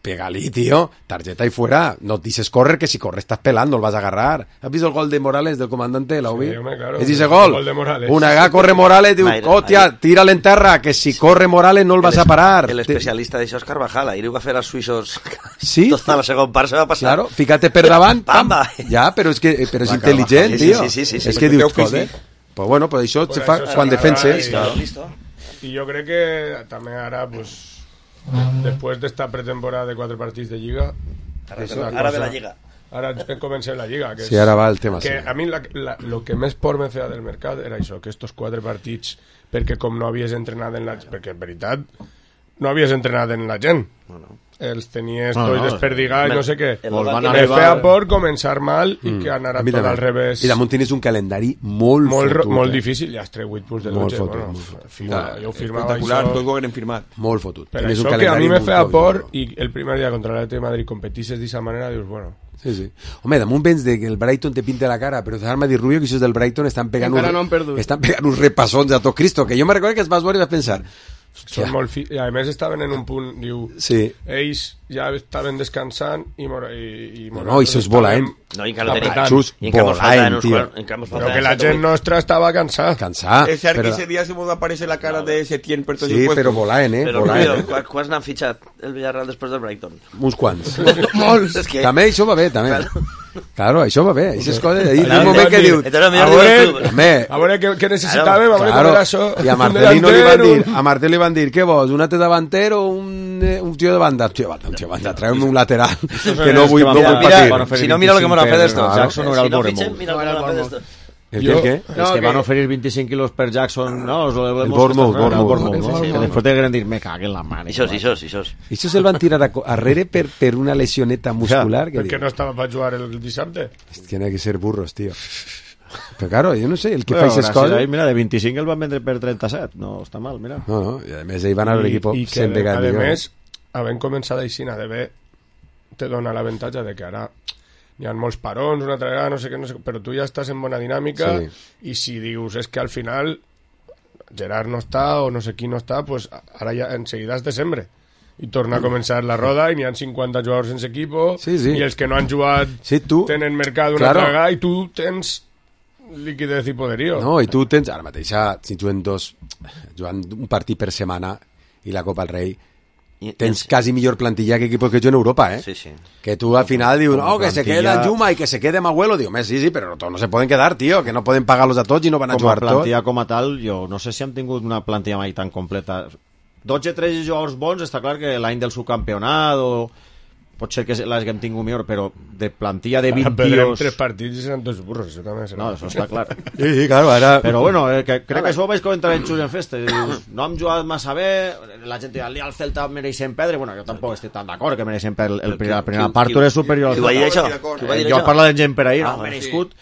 pega-li, tio, tarjeta y fuera, no dices correr, que si corres estás pelando, lo vas a agarrar. ¿Has visto el gol de Morales del comandante? ¿La Sí, hombre, claro. Es ese El gol. gol de Morales. Una gana corre Morales, diu, hòstia, tírale en terra, que si corre Morales no el vas a parar. El especialista d'això és Carvajal, ahir ho va fer als suïssos. Sí. Tota la segona part se va passar. Claro, fíjate per davant, pam. Pamba. Ja, però és Va, intel·ligent, sí, tio. sí, sí, sí, És sí. que dius, Perquè joder. Pues bueno, pues això se fa Això quan s'agrada defenses. I jo crec que també ara, pues, després d'esta pretemporada de 4 partits de Lliga... Ara ve la Lliga. Ara comencem la Lliga. Que Sí, ara va el tema, Que sí. a mi lo que més por me feia del mercat era això, que estos 4 partits, perquè com no havies entrenat en la... Perquè, en veritat, no havies entrenat en la gent. Els tenies tots desperdigats i no sé què. Me feia por començar mal i que anara tot al revés. I damunt tens un calendari molt fotut. Molt difícil, ja has tret 8 punts de 12. Molt fotut, Bueno, molt fotut. jo firmava Espectacular, això. tots ho hagueren firmat. Molt fotut. Per Tenies un això que a calendari mi me molt feia fotut. por i el primer dia contra l'Atlètic de Madrid competisses d'esa manera, dius, bueno... Sí, sí. Home, damunt vens de que el Brighton te pinta la cara, però deixar-me dir, Rubio, que això és del Brighton, estan pegant Encara no han perdut. uns repassons a tot Cristo, que jo me recordo que es vas veure i vas pensar... Són molt I a més estaven en un punt, diu, Sí. ells ja estaven descansant i No, això és volant. No, i encara no tenia... Xus, I encara mos volant, faltaven uns tio. quants- encara mos Però faltaven que la set o gent vuit. nostra estava cansada. Cansat. És cert que però- ese dia se mos va aparèixer la cara de Setién per tots Sí, els però volant, Però, volant. Rubio, quants n'han fitxat el Villarreal després del Brighton? Uns quants. Molts. És que... També això va bé, també. Claro, això va bé. Això és cosa... Hi ha Claro, un moment que diu... entonces, A veure, Home, a veure què necessitàvem, a veure claro. com era això. I a Un Marcelino li van delanter, dir, a Martel li van dir, què vols, un altre davanter o un tio de banda? Un tio de banda, treu-me un lateral, que no vull patir. Si no, mira lo que me lo ha fet esto. Jackson no era el Si no Boremouth. fitxen, mira lo que me lo ha fet esto. ¿El qué? Es que van a oferir 25 kilos per Jackson, no? El Bournemouth. Que després te queren dir, me cague en la mano. Això se'l van tirar arrere per una lesioneta muscular. Perquè no estava per jugar el dissabte. Tiene que ser burros, tío. Pero claro, yo no sé, el que bueno, fa aquestes coses... Ahí, mira, de 25 el van vendre per 37, no està mal, mira. No, i a més ahí van a l'equip sempre que a més, havent començat així, d'haver te dona l'avantatge de que ara hi ha molts parons, una altra vegada, no sé què, però tu ja estàs en bona dinàmica i si dius, és que al final Gerard no està o no sé qui no està, pues ara ja enseguida és desembre i torna a començar la roda i n'hi ha 50 jugadors sense equipo i els que no han jugat tenen mercat una altra vegada i tu tens liquidez i poderío. No, i tu tens, ara mateix, si jugant un partit per setmana i la Copa del Rei, tens quasi millor plantilla que equipos que yo en Europa, ¿eh? Sí. Que tú al final dius, no, que se queda Juma y que se quede Mahuelo. Digo, sí, pero todos no se pueden quedar, tío, que no pueden pagarlos a tots i no van a jugar tots. Com a plantilla com a tal, jo no sé si han tingut una plantilla mai tan completa. 12-13 jugadors bons, està clar que l'any del subcampionat o pot ser que l'haguem tingut millor, però de plantilla de 20 tios... 3 partits i seran 2 burros, això també serà. No, això està clar. Sí, claro, ara... Però bueno, crec que això ho vaig comentar en Xus en Festa. No hem jugat massa bé, la gent diu, al Celta mereixen perdre, bueno, jo tampoc estic tan d'acord que mereixen perdre la primera part, tu eres superior al Celta. Jo parlo de gent per ahir, no, merescut.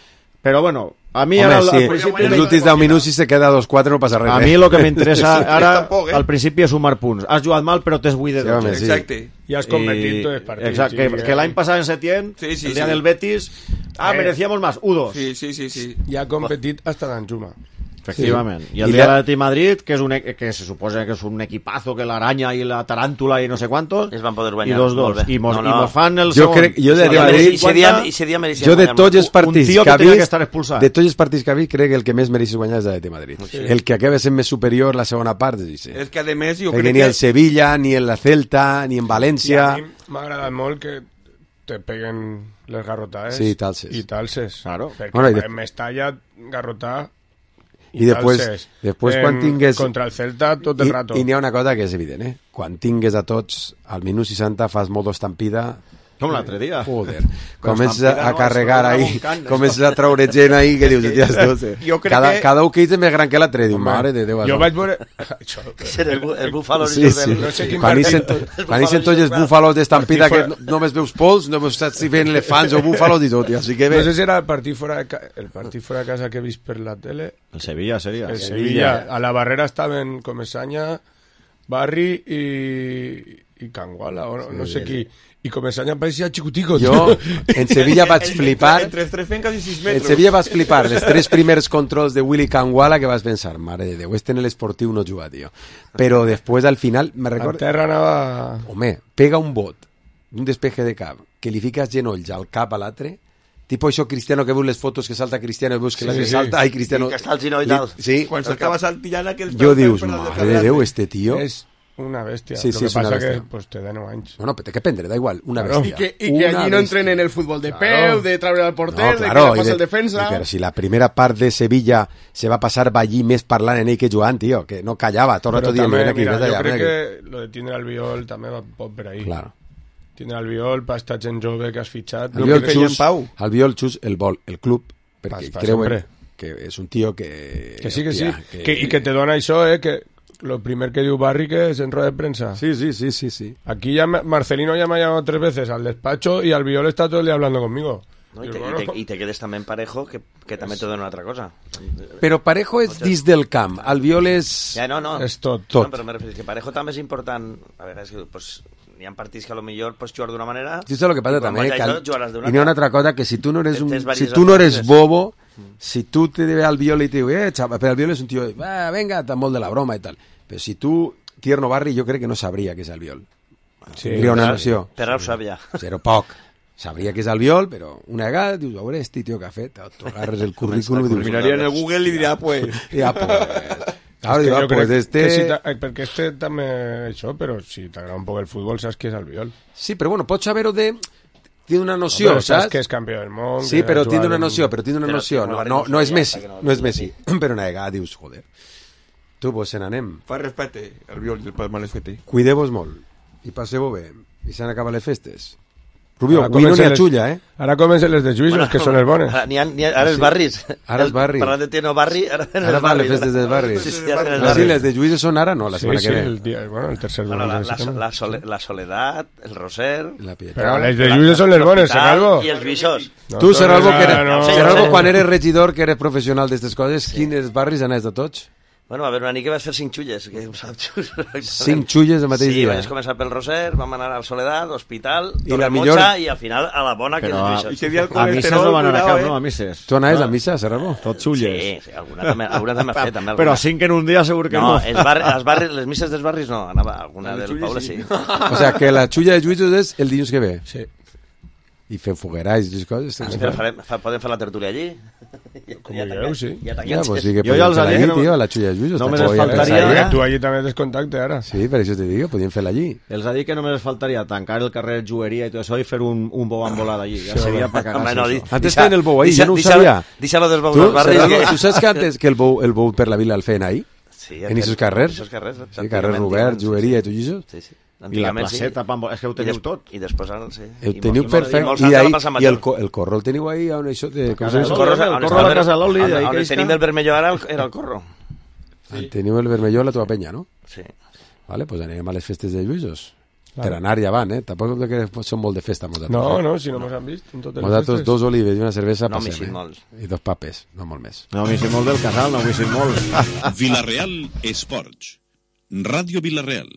Però bueno, a mi home, ara al principi... Els últims 10 minuts si se queda 2-4 no passa res. A mi el que m'interessa ara, al principi, és sumar punts. Has jugat mal, però t'has 8 de 12. Exacte. I has competit tots els partits. Exacte, que l'any passat en Setién, el dia del Betis, merecíamos más, 1-2. Sí. I ha competit hasta d'Anjuma. Efectivament. I el dia de l'Atlètic Madrid, que se suposa que és un equipazo, que l'Aranya i la Taràntula i no sé quantos, es van poder guanyar. I 2-2. I mos fan el segon. Jo de Madrid, jo de tots els partits que ha vist, crec que el que més mereixes guanyar és l'Atlètic Madrid. El que acaba sent més superior la segona part. És que a més jo crec que... Ni el Sevilla, ni el Celta, ni en València... A mi m'ha agradat molt que te peguen les garrotades i talses. Claro. Perquè Mestalla garrotar i després quan tingues contra el Celta tot el rato. I n'hi ha una cosa que és evident, quan tingues a tots al minut 60 fas modo estampida com l'altre dia, joder, comences a carregar ahí, comences a traure gent ahí que dius, cada un que és més gran que l'altre, diu, mare de Déu, jo vaig veure el búfalo quan ixen tots els búfalos d'estampida que només veus pols, no saps si ven elefants o búfalos i tot, així que no sé si era el partit fora de casa que he vist per la tele, el Sevilla seria, el Sevilla, a la barrera estaven Comesaña, Barri i Canguala o no sé qui, i Comesaña parecía xicutico. Jo en Sevilla vaig flipar entre 3 fenques i 6 metres. En Sevilla vaig flipar les 3 primers controls de Willy Canguala, que vas pensar, mare de Déu, en l'esportiu no juga, tio. Però després al final me recordo... A terra anava... Home, pega un bot un despeje de cap que li fiques genolls al cap a l'altre, tipo això Cristiano que veus les fotos que salta Cristiano i veus que l'altre salta, ai Cristiano... que està al ginoll i tal. Sí. Quan s'acaba saltillant aquell... Jo dius, mare de Déu, este tio... És una bèstia. Sí, lo que pasa que pues te da 9 anys. No, però té que prendre, da igual, una bèstia. I que allí no entrenen el futbol de peu, de treure al porter, de que le passa el defensa... Però si la primera part de Sevilla se va passar allí més parlant en ell que jugant, tio, que no callava, tot el rato dient... Mira, jo crec que lo de Tinder Albiol també pot per ahí. Claro. Tinder Albiol, per estar gent jove que has fitxat... Albiol xus el vol, el club, perquè creuen que és un tio que... Que sí, i que te dona això, que... Lo primer que diu Barry que es en rueda de prensa. Sí. Aquí ya Marcelino ya me ha llamado 3 veces al despacho y Albiol está todo el día hablando conmigo. No, y te quedes también Parejo, que también te dona otra cosa. Pero Parejo és dins del camp. Albiol és... Ja, no. És tot. No, però me refereixo que Parejo també és important. A veure, és que pues, hi ha partits que a lo millor pots jugar d'una manera... Sí, això és el que passa també. I n'hi ha una altra cosa, que si tu no eres bobo, si tu te ve Albiol i te diu, xava, però Albiol és un tio, venga, tan molt de la broma i tal. Però si tu, Tierno Barri, jo crec que no sabria què és Albiol. Tindria una noció. Però ho sabia. Però poc. Sabria que és Albiol, però una vegada dius, a veure, este tio que ha fet, t'agarres el currículum i dius... Miraria en el Google i dirà, pues... Ja, pues... Claro, pues este... Perquè este també això, però si t'agrada un poc el futbol saps que és Albiol. Sí, però bueno, pots saber-ho de... Tiene una noció, saps que és campió del món. Sí, però tiene una noció, no és Messi, però una vegada dius, joder... Tu, pues se n'anem. Fa respecte al Albiol del Palma les fete. Cuideu-vos molt i passeu-ho bé. I s'han acabat les festes. Rubio, avui no n'hi ha xulla, eh? Ara comencen les de Lluïsos, que són els bones. Ara els barris. Ara els barris. Parlant de Tieno Barri, ara ven els Ara van les barris. festes dels barris. Sí, les de Lluïsos són ara, no? La setmana que ve. El tercer la Soledat, el Roser... Però les de Lluïsos són les bones, Serralvo. I els Bixós. Tu, Serralvo, quan eres regidor, que eres professional d'aquestes coses, quins barris anaves de tots? Bueno, a veure, una nit que vas fer 5 xulles. 5 xulles el mateix dia? Sí, vaig començar pel Roser, vam anar al Soledat, Hospital, millor... i al final a la bona que és Bixós. A misses no van anar a cap, no? A misses. Tu anaves a missa, Serralvo? Tot xulles. Sí, alguna també ha fet. Però 5 en un dia segur que no. Les misses dels barris no, anava alguna del poble, sí. O sea, que la xulla de Lluïsos és el dilluns que ve. Sí. I fem foguerats i coses. Podem fer la tertúlia allí? Com dieu, sí. Jo ja els he dit, tio, la xulla de Lluïsos. Només es faltaria... Tu allí també tens contacte, ara. Sí, per això te digo, podíem fer-la allí. Els ha dit que només faltaria tancar el carrer Jueria i tot això i fer un bou amb volada allí. Ja seria per cagar-se. Antes feien el bou ahí, jo no ho sabia. Deixa-lo dels bous dels barris. Tu saps que antes que el bou per la vila el feien ahí? En aquests carrers? Sí, carrer Robert, Jueria i tot això? Sí, sí. I la placeta, és que ho teniu tot. I després ara, sí. Ho teniu perfecte. I el corro el teniu ahí on això... El corro a la casa l'Oli. On tenim el vermelló ara era el corro. Teniu el vermelló a la teva penya, no? Sí. Vale, pues anirem a les festes de Lluïsos. Per anar ja van, Tampoc que són molt de festa. No, si no mos han vist. Nosaltres 2 olives i una cervesa passem. No, molts. I 2 papes, no molt més. No, m'hi molt del casal, no m'hi molt. Vila Real Esports. Ràdio Vila Real.